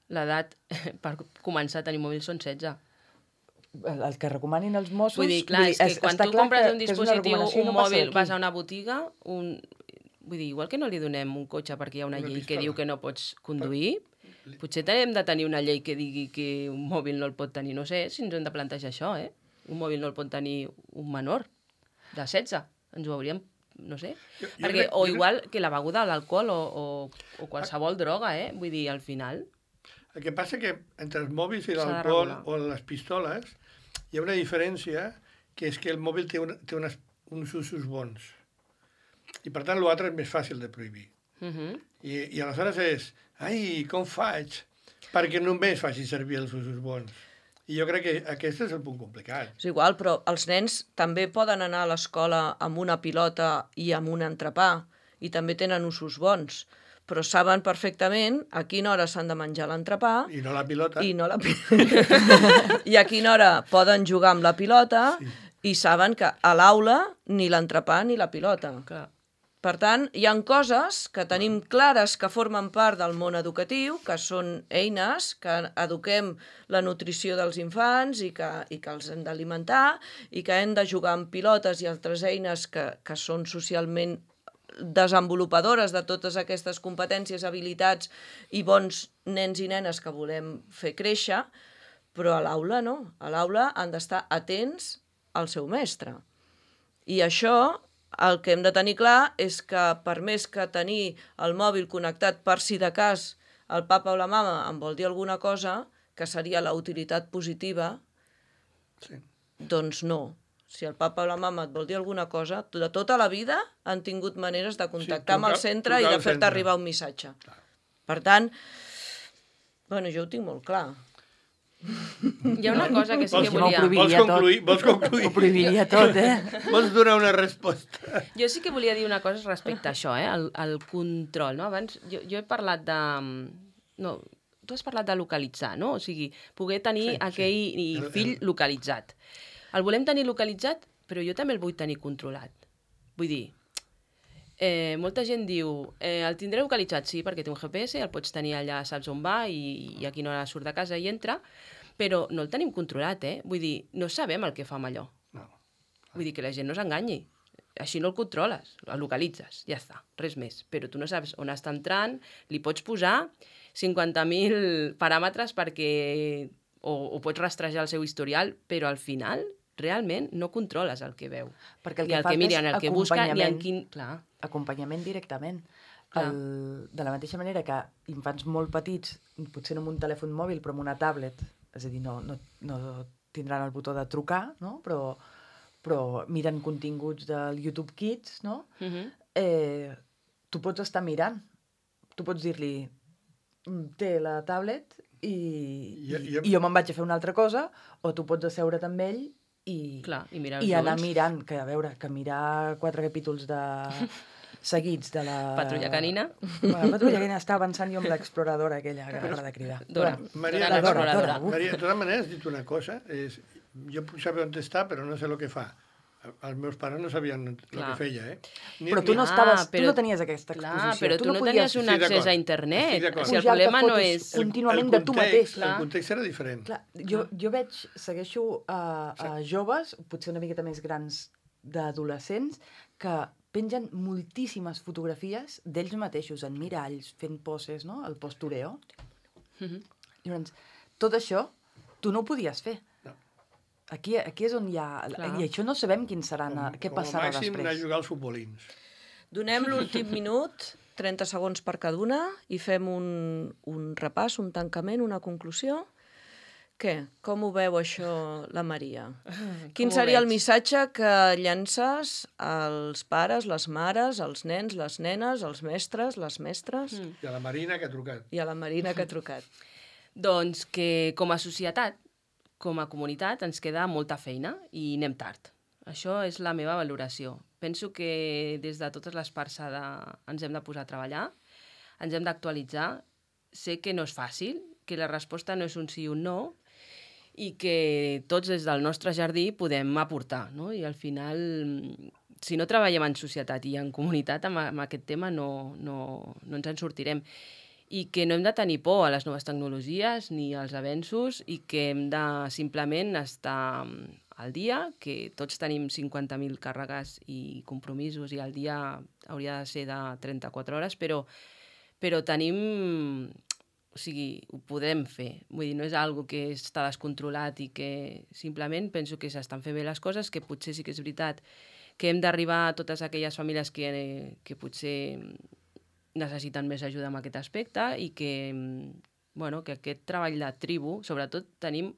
L'edat per començar a tenir mòbil són setze. El, el que recomanin els Mossos... Vull dir, clar, és que quan tu compres un dispositiu, un mòbil, vas a una botiga, un... vull dir, igual que no li donem un cotxe perquè hi ha una, una llei pistola que diu que no pots conduir, per... potser hem de tenir una llei que digui que un mòbil no el pot tenir, no sé si ens hem de plantejar això, eh? Un mòbil no el pot tenir un menor de setze, ens ho hauríem, no sé, jo, jo perquè, crec, o igual crec... que la beguda, l'alcohol o, o, o qualsevol droga, eh? Vull dir, al final... El que passa que entre els mòbils i l'alcohol o les pistoles hi ha una diferència, que és que el mòbil té, una, té unes, uns usos bons. I per tant l'altre és més fàcil de prohibir. Uh -huh. I, I aleshores és, ai, com faig? Perquè només faci servir els usos bons. I jo crec que aquest és el punt complicat. És igual, però els nens també poden anar a l'escola amb una pilota i amb un entrepà, i també tenen usos bons, però saben perfectament a quina hora s'han de menjar l'entrepà... I no la pilota. I, no la pilota. I a quina hora poden jugar amb la pilota, sí. I saben que a l'aula ni l'entrepà ni la pilota. Clar. Per tant, hi ha coses que tenim clares que formen part del món educatiu, que són eines, que eduquem la nutrició dels infants i que, i que els hem d'alimentar, i que hem de jugar amb pilotes i altres eines que, que són socialment desenvolupadores de totes aquestes competències, habilitats i bons nens i nenes que volem fer créixer, però a l'aula no. A l'aula han d'estar atents al seu mestre. I això... El que hem de tenir clar és que per més que tenir el mòbil connectat per si de cas el papa o la mama em vol dir alguna cosa, que seria la utilitat positiva, sí. Doncs no. Si el papa o la mama et vol dir alguna cosa, de tota la vida han tingut maneres de contactar sí, truca, amb el centre i de fer-te arribar un missatge. Clar. Per tant, bueno, jo ho tinc molt clar. Hi ha una cosa que sí que volia... Vols concluir? Vols concluir? Ho prohibiria tot, eh? Vols donar una resposta? Jo sí que volia dir una cosa respecte a això, eh? El, el control, no? Abans, jo, jo he parlat de... No, tu has parlat de localitzar, no? O sigui, poder tenir sí, aquell sí. fill localitzat. El volem tenir localitzat, però jo també el vull tenir controlat. Vull dir, eh, molta gent diu, eh, el tindré localitzat, sí, perquè té un G P S, el pots tenir allà, saps on va, i, i a quina hora surt de casa i entra, però no el tenim controlat, eh? Vull dir, no sabem el que fa amb allò. No. Vull dir que la gent no s'enganyi. Així no el controles, el localitzes, ja està, res més. Però tu no saps on està entrant, li pots posar cinquanta mil paràmetres perquè... O, o pots rastrejar el seu historial, però al final realment no controles el que veu. Perquè el ni que el fa que mira, és ni el que busca, ni en quin... Clar. Acompanyament directament. El, de la mateixa manera que infants molt petits, potser no amb un telèfon mòbil, però amb una tablet, és a dir, no, no, no tindran el botó de trucar, no? però, però miren continguts del YouTube Kids, no? Uh-huh. eh, tu pots estar mirant. Tu pots dir-li, té la tablet i, I, i, i jo me'n vaig a fer una altra cosa, o tu pots asseure't amb ell i, Clar, i, i anar mirant, que a veure, que mirar quatre capítols de... seguits de la... Patrulla canina. Bueno, la patrulla canina està avançant jo amb l'exploradora aquella que m'agrada de cridar. Dora. Maria, Dora, Dora, Dora, Dora. Maria, de totes maneres, has dit una cosa, és, jo puc saber on està, però no sé el que fa. Els meus pares no sabien el que feia, eh? Ni, però tu no, estaves, ah, però, tu no tenies aquesta exposició. Clar, però tu, tu no, no podies... tenies un sí, accés a internet. Si el problema no és... Contínuament el, el de tu mateix. El context era diferent. Clar, jo, jo veig, segueixo a, a joves, potser una miqueta més grans d'adolescents, que pengen moltíssimes fotografies d'ells mateixos en miralls, fent poses, no? El postureo. Mm-hmm. Llavors, tot això, tu no ho podies fer. No. Aquí, aquí és on hi ha... Clar. I això no sabem quin serà, com, què passarà després. Com a màxim anar a jugar als futbolins. Donem l'últim minut, trenta segons per cada una, i fem un, un repàs, un tancament, una conclusió. Què? Com ho veu això la Maria? Quin seria el missatge que llances als pares, les mares, als nens, les nenes, als mestres, les mestres? Mm. I a la Marina que ha trucat. I a la Marina que ha trucat. Doncs que com a societat, com a comunitat, ens queda molta feina i anem tard. Això és la meva valoració. Penso que des de totes les parts de... ens hem de posar a treballar, ens hem d'actualitzar sé que no és fàcil, que la resposta no és un sí o un no, i que tots des del nostre jardí podem aportar, no? I al final, si no treballem en societat i en comunitat amb, amb aquest tema, no, no, no ens en sortirem. I que no hem de tenir por a les noves tecnologies ni als avenços i que hem de simplement estar al dia, que tots tenim cinquanta mil càrregues i compromisos i el dia hauria de ser de trenta-quatre hores, però, però tenim... O sigui, ho podem fer. Vull dir, no és algo que està descontrolat i que simplement penso que s'estan fent bé les coses, que potser sí que és veritat que hem d'arribar a totes aquelles famílies que, que potser necessiten més ajuda en aquest aspecte i que, bueno, que aquest treball de tribu, sobretot tenim...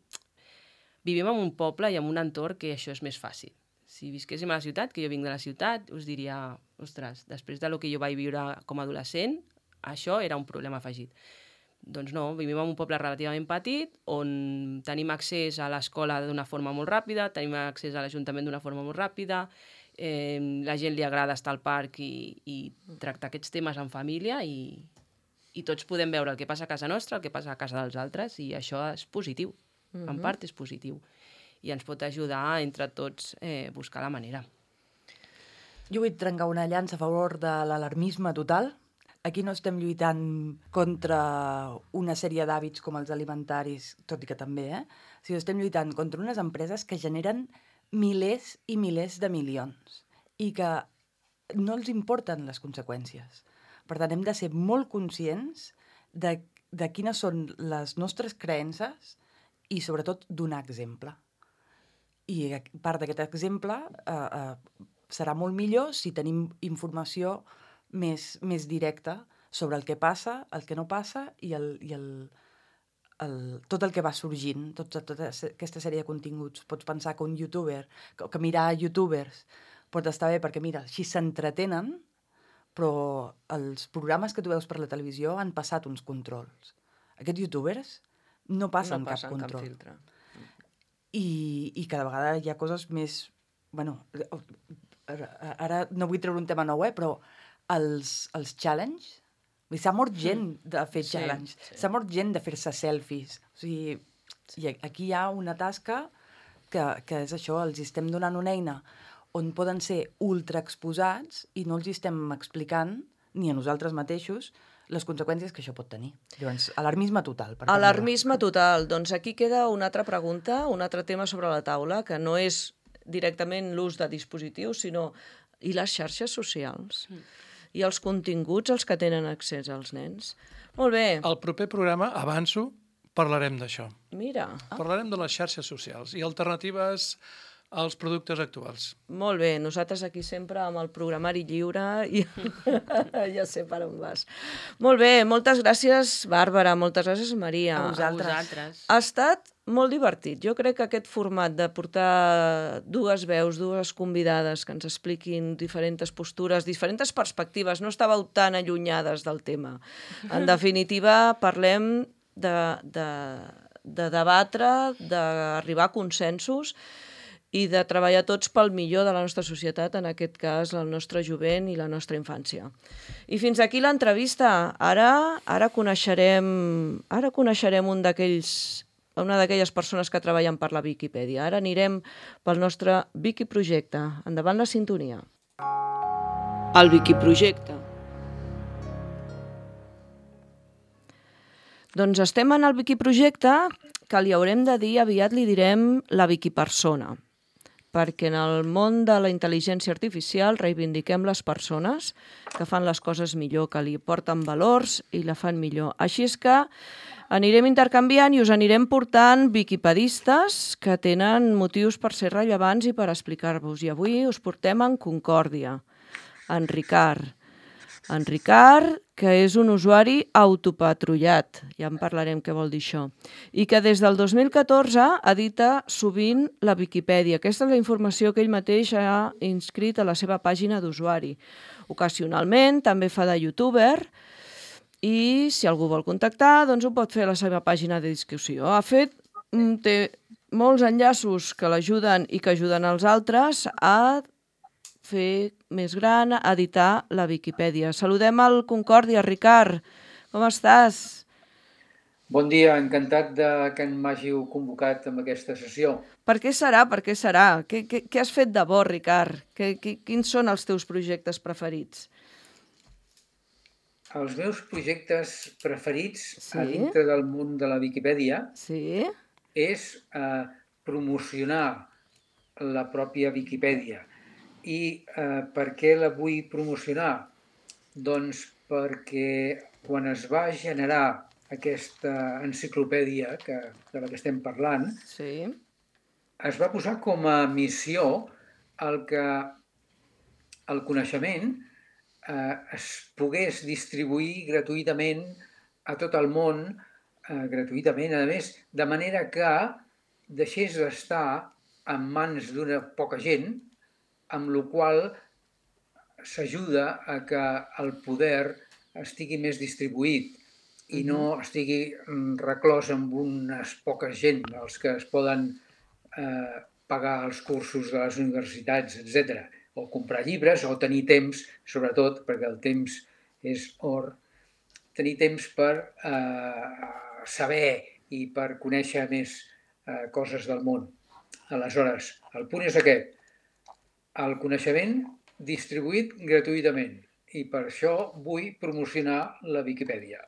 Vivim en un poble i en un entorn que això és més fàcil. Si visquéssim a la ciutat, que jo vinc de la ciutat, us diria, ostres, després de lo que jo vaig viure com a adolescent, això era un problema afegit. Doncs no, vivim en un poble relativament petit, on tenim accés a l'escola d'una forma molt ràpida, tenim accés a l'Ajuntament d'una forma molt ràpida, eh, la gent li agrada estar al parc i, i tractar aquests temes en família i, i tots podem veure el que passa a casa nostra, el que passa a casa dels altres, i això és positiu, mm-hmm. En part és positiu. I ens pot ajudar entre tots eh, buscar la manera. Jo vull trencar una llança a favor de l'alarmisme total. Aquí no estem lluitant contra una sèrie d'hàbits com els alimentaris, tot i que també, eh? Sinó estem lluitant contra unes empreses que generen milers i milers de milions i que no els importen les conseqüències. Per tant, hem de ser molt conscients de, de quines són les nostres creences i, sobretot, donar exemple. I part d'aquest exemple eh, eh, serà molt millor si tenim informació més, més directa sobre el que passa, el que no passa i, el, i el, el, tot el que va sorgint, tota, tota aquesta sèrie de continguts. Pots pensar que un youtuber, que, que mirar youtubers pot estar bé perquè, mira, així s'entretenen, però els programes que tu veus per la televisió han passat uns controls. Aquests youtubers no passen, no passen cap control. Cap filtre. I, I cada vegada hi ha coses més... Bueno, ara no vull treure un tema nou, eh, però els, els challenge, s'ha mort gent de fer sí, challenge, sí. S'ha mort gent de fer-se selfies. O sigui, i aquí hi ha una tasca que, que és això, els estem donant una eina on poden ser ultraexposats i no els estem explicant, ni a nosaltres mateixos, les conseqüències que això pot tenir. Llavors, alarmisme total. Per alarmisme total. Doncs aquí queda una altra pregunta, un altre tema sobre la taula, que no és directament l'ús de dispositius, sinó i les xarxes socials. Mm. I els continguts als que tenen accés als nens. Molt bé. Al proper programa, avanço, parlarem d'això. Mira. Ah. Parlarem de les xarxes socials i alternatives als productes actuals. Molt bé, nosaltres aquí sempre amb el programari lliure i ja sé per on vas. Molt bé, moltes gràcies, Bàrbara, moltes gràcies, Maria. A vosaltres. A vosaltres. Ha estat molt divertit. Jo crec que aquest format de portar dues veus, dues convidades que ens expliquin diferents postures, diferents perspectives, no estàveu tan allunyades del tema. En definitiva, parlem de, de, de debatre, d'arribar a consensos i de treballar tots pel millor de la nostra societat, en aquest cas el nostre jovent i la nostra infància. I fins aquí l'entrevista. Ara, ara coneixerem, ara coneixerem un d'aquells, una d'aquelles persones que treballen per la Viquipèdia. Ara anirem pel nostre Viquiprojecte. Endavant la sintonia. El Viquiprojecte. Doncs estem en el Viquiprojecte, que li haurem de dir, aviat li direm la Viquipersona, perquè en el món de la intel·ligència artificial reivindiquem les persones que fan les coses millor, que li porten valors i la fan millor. Així és que anirem intercanviant i us anirem portant viquipedistes que tenen motius per ser rellevants i per explicar-vos. I avui us portem en Concòrdia, en Ricard. En Ricard, que és un usuari autopatrullat, ja en parlarem què vol dir això, i que des del dos mil catorze edita sovint la Viquipèdia. Aquesta és la informació que ell mateix ha inscrit a la seva pàgina d'usuari. Ocasionalment també fa de youtuber i si algú vol contactar, doncs ho pot fer a la seva pàgina de discussió. Ha fet, té molts enllaços que l'ajuden i que ajuden els altres a fer més gran, editar la Viquipèdia. Saludem al Concòrdia. Ricard, com estàs? Bon dia, encantat de que m'hàgiu convocat en aquesta sessió. Per què serà? Per què serà? Què, què, què has fet de bo, Ricard? Que, que, quins són els teus projectes preferits? Els meus projectes preferits Sí? a dintre del món de la Viquipèdia Sí? és eh, promocionar la pròpia Viquipèdia. I eh, per què la vull promocionar? Doncs perquè quan es va generar aquesta enciclopèdia que, de la que estem parlant, Sí? es va posar com a missió el que el coneixement eh, es pogués distribuir gratuïtament a tot el món, eh, gratuïtament, a més, de manera que deixés d'estar en mans d'una poca gent, amb la qual s'ajuda a que el poder estigui més distribuït i no estigui reclòs amb unes poques gent, els que es poden eh, pagar els cursos de les universitats, etcètera, o comprar llibres, o tenir temps, sobretot, perquè el temps és or, tenir temps per eh, saber i per conèixer més eh, coses del món. Aleshores, el punt és aquest, el coneixement distribuït gratuïtament, i per això vull promocionar la Viquipèdia.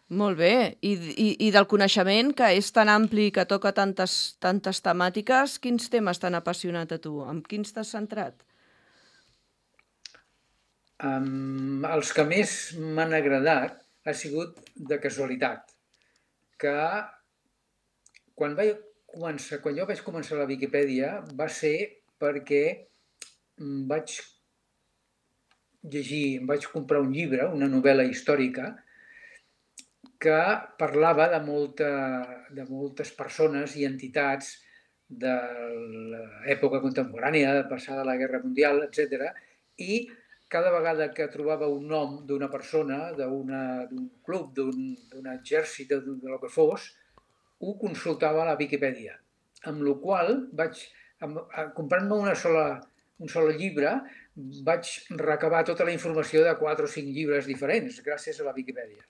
Molt bé. I, i, i del coneixement, que és tan ampli, que toca tantes, tantes temàtiques, quins temes t'han apassionat a tu? Amb quins t'has centrat? Um, els que més m'han agradat ha sigut de casualitat, que quan, vaig començar, quan jo vaig començar la Viquipèdia va ser perquè vaig llegir, vaig comprar un llibre, una novel·la històrica, que parlava de, molta, de moltes persones i entitats de l'època contemporània, passada la Guerra Mundial, etcètera, i cada vegada que trobava un nom d'una persona, d'un club, d'un exèrcit, de, de lo que fos, ho consultava a la Viquipèdia. Amb la qual vaig, comprant-me una sola, un sol llibre, vaig recabar tota la informació de quatre o cinc llibres diferents, gràcies a la Viquipèdia.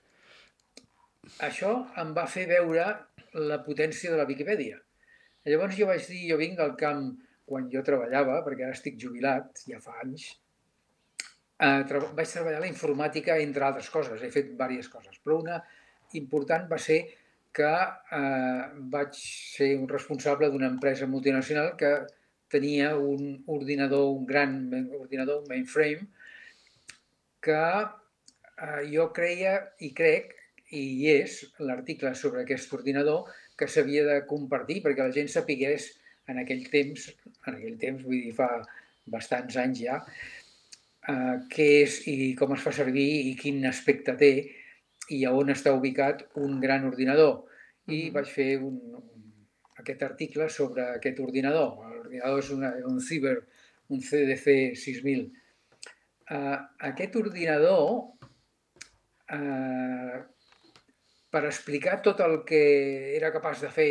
Això em va fer veure la potència de la Viquipèdia. Llavors jo vaig dir, jo vinc al camp quan jo treballava, perquè ara estic jubilat, ja fa anys, eh, vaig treballar la informàtica, entre altres coses, he fet diverses coses, però una important va ser que eh, vaig ser un responsable d'una empresa multinacional que tenia un ordinador, un gran ordinador, un mainframe, que eh, jo creia i crec, i hi és l'article sobre aquest ordinador que s'havia de compartir perquè la gent sapigués en aquell temps, en aquell temps, vull dir, fa bastants anys ja, eh, què és i com es fa servir i quin aspecte té i a on està ubicat un gran ordinador. I vaig fer un, un, aquest article sobre aquest ordinador. L'ordinador és una, un Ciber, un C D C sis mil. Eh, aquest ordinador, eh, per explicar tot el que era capaç de fer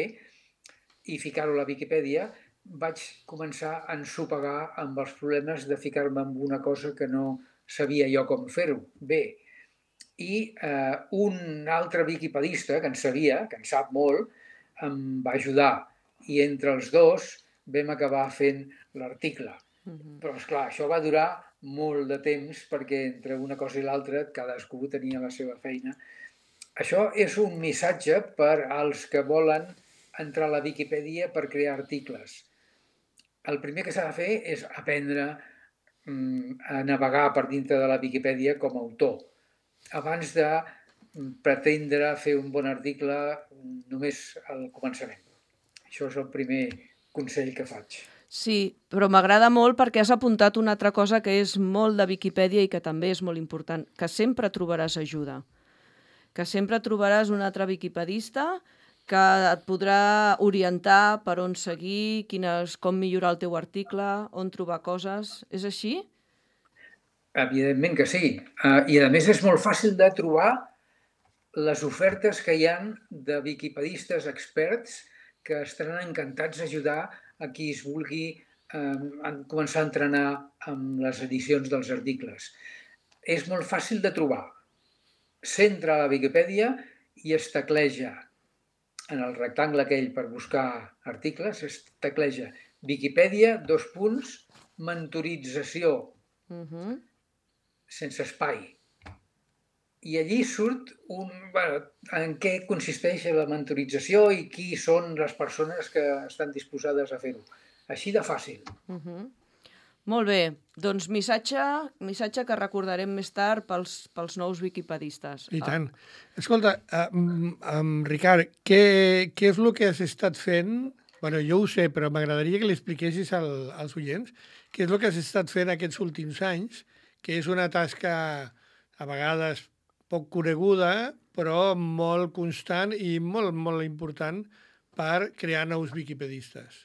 i ficar-ho a la Viquipèdia, vaig començar a ensopegar amb els problemes de ficar-me en una cosa que no sabia jo com fer-ho bé. I eh, un altre viquipedista que en sabia, que en sap molt, em va ajudar. I entre els dos vam acabar fent l'article. Uh-huh. Però, esclar, això va durar molt de temps perquè entre una cosa i l'altra cadascú tenia la seva feina. Això és un missatge per als que volen entrar a la Viquipèdia per crear articles. El primer que s'ha de fer és aprendre mm, a navegar per dintre de la Viquipèdia com a autor, abans de pretendre fer un bon article només al començament. Això és el primer consell que faig. Sí, però m'agrada molt perquè has apuntat una altra cosa que és molt de Viquipèdia i que també és molt important, que sempre trobaràs ajuda. Que sempre trobaràs un altre viquipedista que et podrà orientar per on seguir, quines, com millorar el teu article, on trobar coses. És així? Evidentment que sí. Uh, I a més és molt fàcil de trobar les ofertes que hi ha de viquipedistes experts que estaran encantats d'ajudar a qui es vulgui eh, començar a entrenar amb les edicions dels articles. És molt fàcil de trobar. S'entra a la Viquipèdia i es tecleja en el rectangle aquell per buscar articles, es tecleja Viquipèdia, dos punts, mentorització, Uh-huh. sense espai. I allí surt un, bueno, en què consisteix la mentorització i qui són les persones que estan disposades a fer-ho. Així de fàcil. Uh-huh. Molt bé, doncs missatge, missatge que recordarem més tard pels, pels nous viquipedistes. I tant. Escolta, um, um, Ricard, què, què és el que has estat fent? Bueno, jo ho sé, però m'agradaria que l'expliquessis al, als oients. Què és el que has estat fent aquests últims anys, que és una tasca a vegades poc coneguda, però molt constant i molt, molt important per crear nous viquipedistes.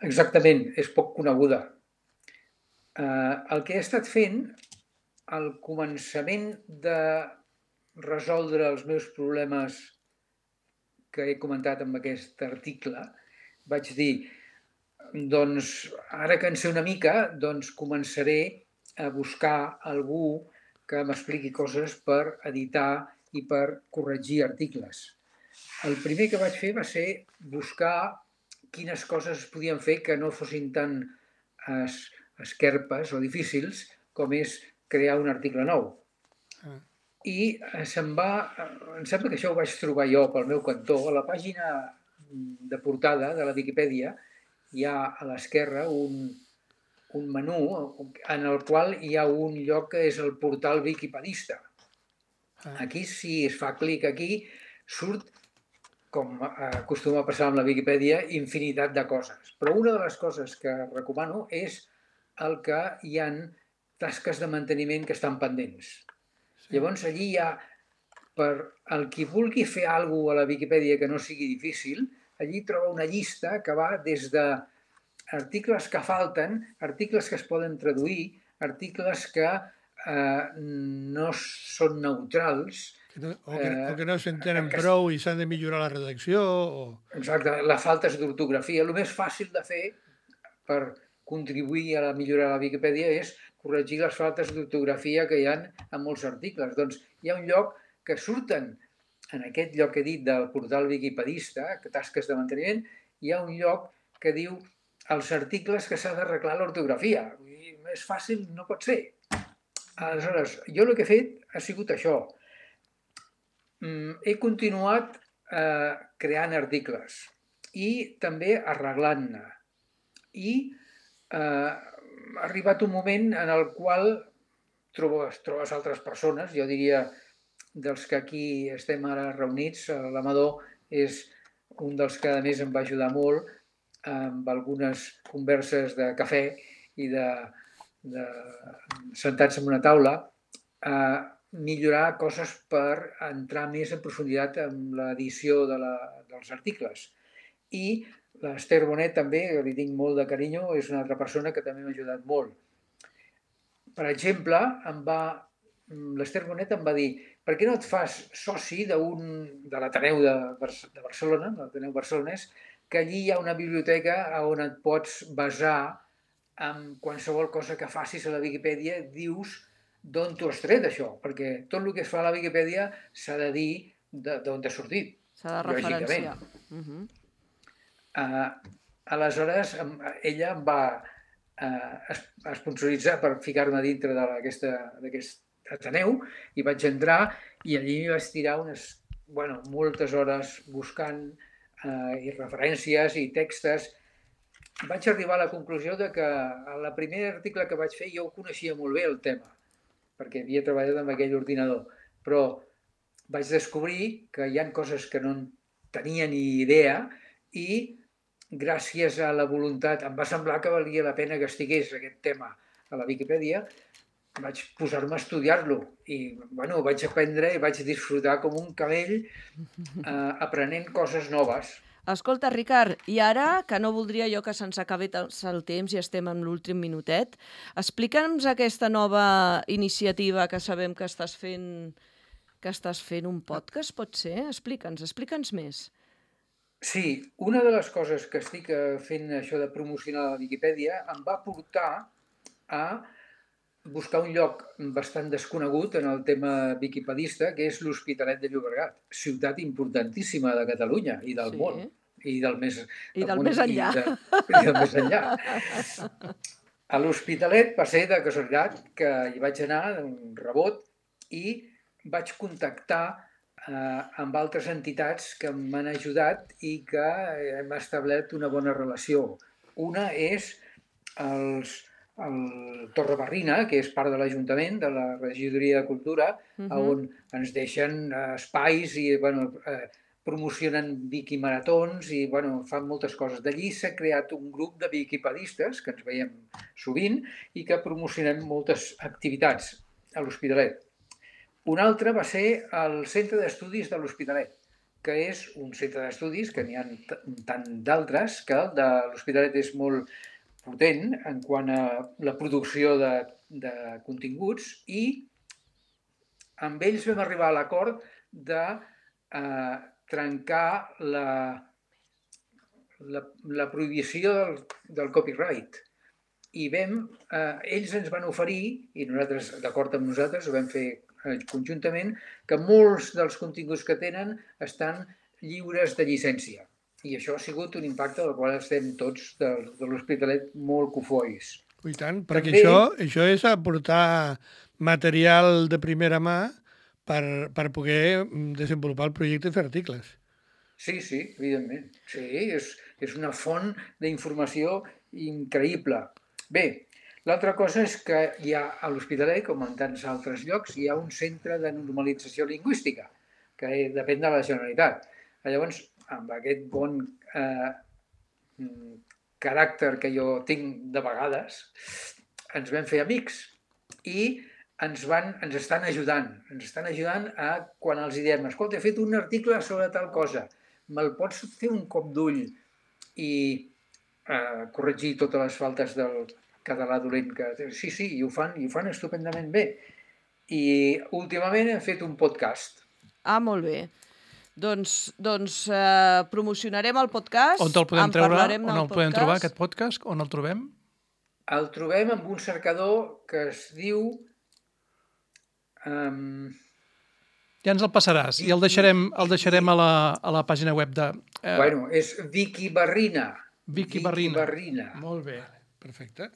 Exactament, és poc coneguda. Uh, el que he estat fent, al començament de resoldre els meus problemes que he comentat amb aquest article, vaig dir, doncs, ara que en sé una mica, doncs començaré a buscar algú que m'expliqui coses per editar i per corregir articles. El primer que vaig fer va ser buscar quines coses es podien fer que no fossin tan es, esquerpes o difícils com és crear un article nou. Ah. I se'm va, em sembla que això ho vaig trobar jo pel meu cantó. A la pàgina de portada de la Viquipèdia hi ha a l'esquerra un, un menú en el qual hi ha un lloc que és el portal Viquipedista. Aquí, si es fa clic aquí, surt, com acostuma a passar amb la Viquipèdia, infinitat de coses. Però una de les coses que recomano és el que hi ha tasques de manteniment que estan pendents. Sí. Llavors, allí hi ha, per el qui vulgui fer alguna cosa a la Viquipèdia que no sigui difícil, allí troba una llista que va des de articles que falten, articles que es poden traduir, articles que eh, no són neutrals. Que no, o, que, o que no s'entenen eh, prou i s'han de millorar la redacció. O... Exacte, la falta d'ortografia. El més fàcil de fer per contribuir a la millora de la Viquipèdia és corregir les faltes d'ortografia que hi ha en molts articles. Doncs hi ha un lloc que surten, en aquest lloc que he dit del portal Viquipedista, que tasques de manteniment, hi ha un lloc que diu els articles que s'ha d'arreglar l'ortografia. Més fàcil no pot ser. Aleshores, jo el que he fet ha sigut això. He continuat eh, creant articles i també arreglant-ne. I eh, ha arribat un moment en el qual trobes, trobes altres persones, jo diria dels que aquí estem ara reunits, l'Amador és un dels que a més em va ajudar molt amb algunes converses de cafè i de, de sentats en una taula a millorar coses per entrar més en profunditat en l'edició de la, dels articles. I l'Ester Bonet també, que li tinc molt de carinyo, és una altra persona que també m'ha ajudat molt. Per exemple, em va, l'Ester Bonet em va dir per què no et fas soci d'un de l'Ateneu de, de Barcelona, de l'Ateneu barcelonès, que allí hi ha una biblioteca on et pots basar en qualsevol cosa que facis a la Viquipèdia, dius d'on t'ho has tret, això, perquè tot el que es fa a la Viquipèdia s'ha de dir d'on t'ha sortit. S'ha de referenciar. Uh -huh. uh, aleshores, ella em va uh, esponsoritzar per ficar-me dintre d'aquest Ateneu i vaig entrar i allí m'hi vaig tirar unes, bueno, moltes hores buscant uh, i referències i textos. Vaig arribar a la conclusió de que el primer article que vaig fer jo ho coneixia molt bé, el tema, perquè havia treballat amb aquell ordinador, però vaig descobrir que hi ha coses que no tenia ni idea i gràcies a la voluntat, em va semblar que valia la pena que estigués aquest tema a la Viquipèdia, vaig posar-me a estudiar-lo i bueno, vaig aprendre i vaig disfrutar com un camell eh, aprenent coses noves. Escolta, Ricard, i ara, que no voldria jo que se'ns acabi el temps i estem en l'últim minutet, explica'ns aquesta nova iniciativa que sabem que estàs fent, que estàs fent un podcast, pot ser? Explica'ns, explica'ns més. Sí, una de les coses que estic fent això de promocionar la Viquipèdia em va portar a buscar un lloc bastant desconegut en el tema viquipedista, que és l'Hospitalet de Llobregat, ciutat importantíssima de Catalunya i del Sí. món. I del més, I del món, més enllà. I, de, I del més enllà. A l'Hospitalet va ser de casualitat que hi vaig anar, un rebot, i vaig contactar eh, amb altres entitats que m'han ajudat i que hem establert una bona relació. Una és els, el Torrebarrina, que és part de l'Ajuntament, de la Regidoria de Cultura, uh -huh. on ens deixen eh, espais i bueno, eh, promocionen viquimaratons i bueno, fan moltes coses. D'allí s'ha creat un grup de viquipedistes, que ens veiem sovint, i que promocionem moltes activitats a l'Hospitalet. Un altre va ser el Centre d'Estudis de l'Hospitalet, que és un centre d'estudis, que n'hi ha tant d'altres, que el de l'Hospitalet és molt potent en quant a la producció de, de continguts, i amb ells vam arribar a l'acord de eh, trencar la, la, la prohibició del, del copyright. I vam, eh, ells ens van oferir, i nosaltres, d'acord amb nosaltres, ho vam fer eh, conjuntament, que molts dels continguts que tenen estan lliures de llicència. I això ha sigut un impacte del qual estem tots de, de l'Hospitalet molt cofois. I tant, perquè També... això, això és aportar material de primera mà per, per poder desenvolupar el projecte i fer articles. Sí, sí, evidentment. Sí, és, és una font d'informació increïble. Bé, l'altra cosa és que hi ha a l'Hospitalet, com en tants altres llocs, hi ha un centre de normalització lingüística, que depèn de la Generalitat. Llavors, amb aquest bon eh, caràcter que jo tinc de vegades, ens vam fer amics i ens, van, ens estan ajudant. Ens estan ajudant a quan els diem, escolta, he fet un article sobre tal cosa, me'l pots fer un cop d'ull i eh, corregir totes les faltes del català dolent que... Sí, sí, i ho fan, i ho fan estupendament bé. I últimament hem fet un podcast. Ah, molt bé. Doncs, doncs eh, promocionarem el podcast. On el podem en treure? parlarem On del el podem podcast. trobar, aquest podcast? On el trobem? El trobem amb un cercador que es diu... Um, Ja ens el passaràs i el deixarem, el deixarem a, la, a la pàgina web de... Eh, bueno, és Vicky Barrina. Vicky Barrina. Barrina. Molt bé. Perfecte.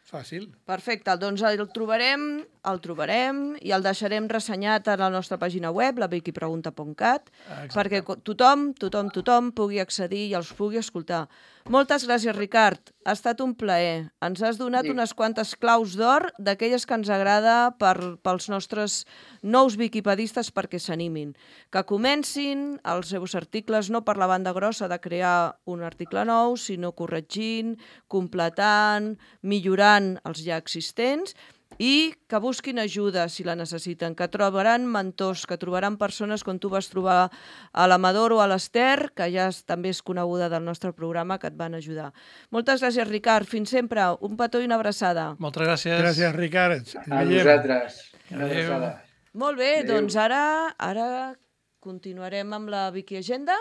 Fàcil. Perfecte, doncs el trobarem, el trobarem i el deixarem ressenyat a la nostra pàgina web, la viquipregunta punt cat, perquè tothom, tothom, tothom pugui accedir i els pugui escoltar. Moltes gràcies, Ricard. Ha estat un plaer. Ens has donat Sí. unes quantes claus d'or d'aquelles que ens agrada per, pels nostres nous viquipedistes perquè s'animin. Que comencin els seus articles no per la banda grossa de crear un article nou, sinó corregint, completant, millorant els ja existents i que busquin ajuda si la necessiten, que trobaran mentors, que trobaran persones com tu vas trobar a l'Amador o a l'Ester, que ja també és coneguda del nostre programa, que et van ajudar. Moltes gràcies, Ricard. Fins sempre. Un petó i una abraçada. Moltes gràcies. Gràcies, Ricard. Ens A veiem. vosaltres. Una Adéu. abraçada. Molt bé, Adéu. doncs ara, ara continuarem amb la Wiki Agenda.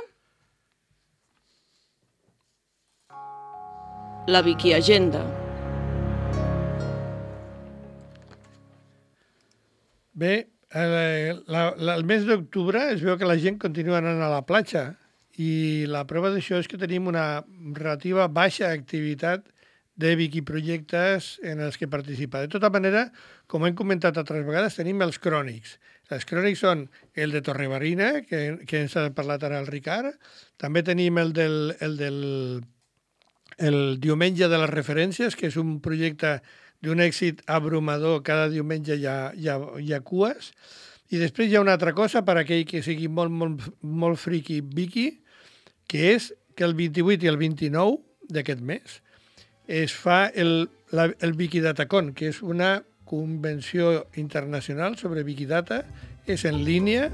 La Wiki Agenda. Bé, el, la, la, el mes d'octubre es veu que la gent continua anant a la platja i la prova d'això és que tenim una relativa baixa activitat de wikiprojectes en els que participa. De tota manera, com hem comentat altres vegades, tenim els crònics. Els crònics són el de Torrebarrina, que, que ens ha parlat ara el Ricard. També tenim el del, el del el diumenge de les referències, que és un projecte d'un èxit abrumador, cada diumenge hi ha, hi ha, hi ha cues. I després hi ha una altra cosa per a aquell que sigui molt, molt, molt friqui wiki, que és que el vint-i-vuit i el vint-i-nou d'aquest mes es fa el, la, el Wikidatacon, que és una convenció internacional sobre Wikidata, és en línia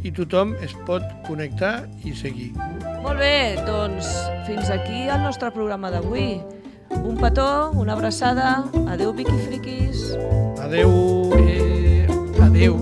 i tothom es pot connectar i seguir. Molt bé, doncs fins aquí el nostre programa d'avui. Un petó, una abraçada, adeu Wikifriquis. Adeu! Eh, adeu.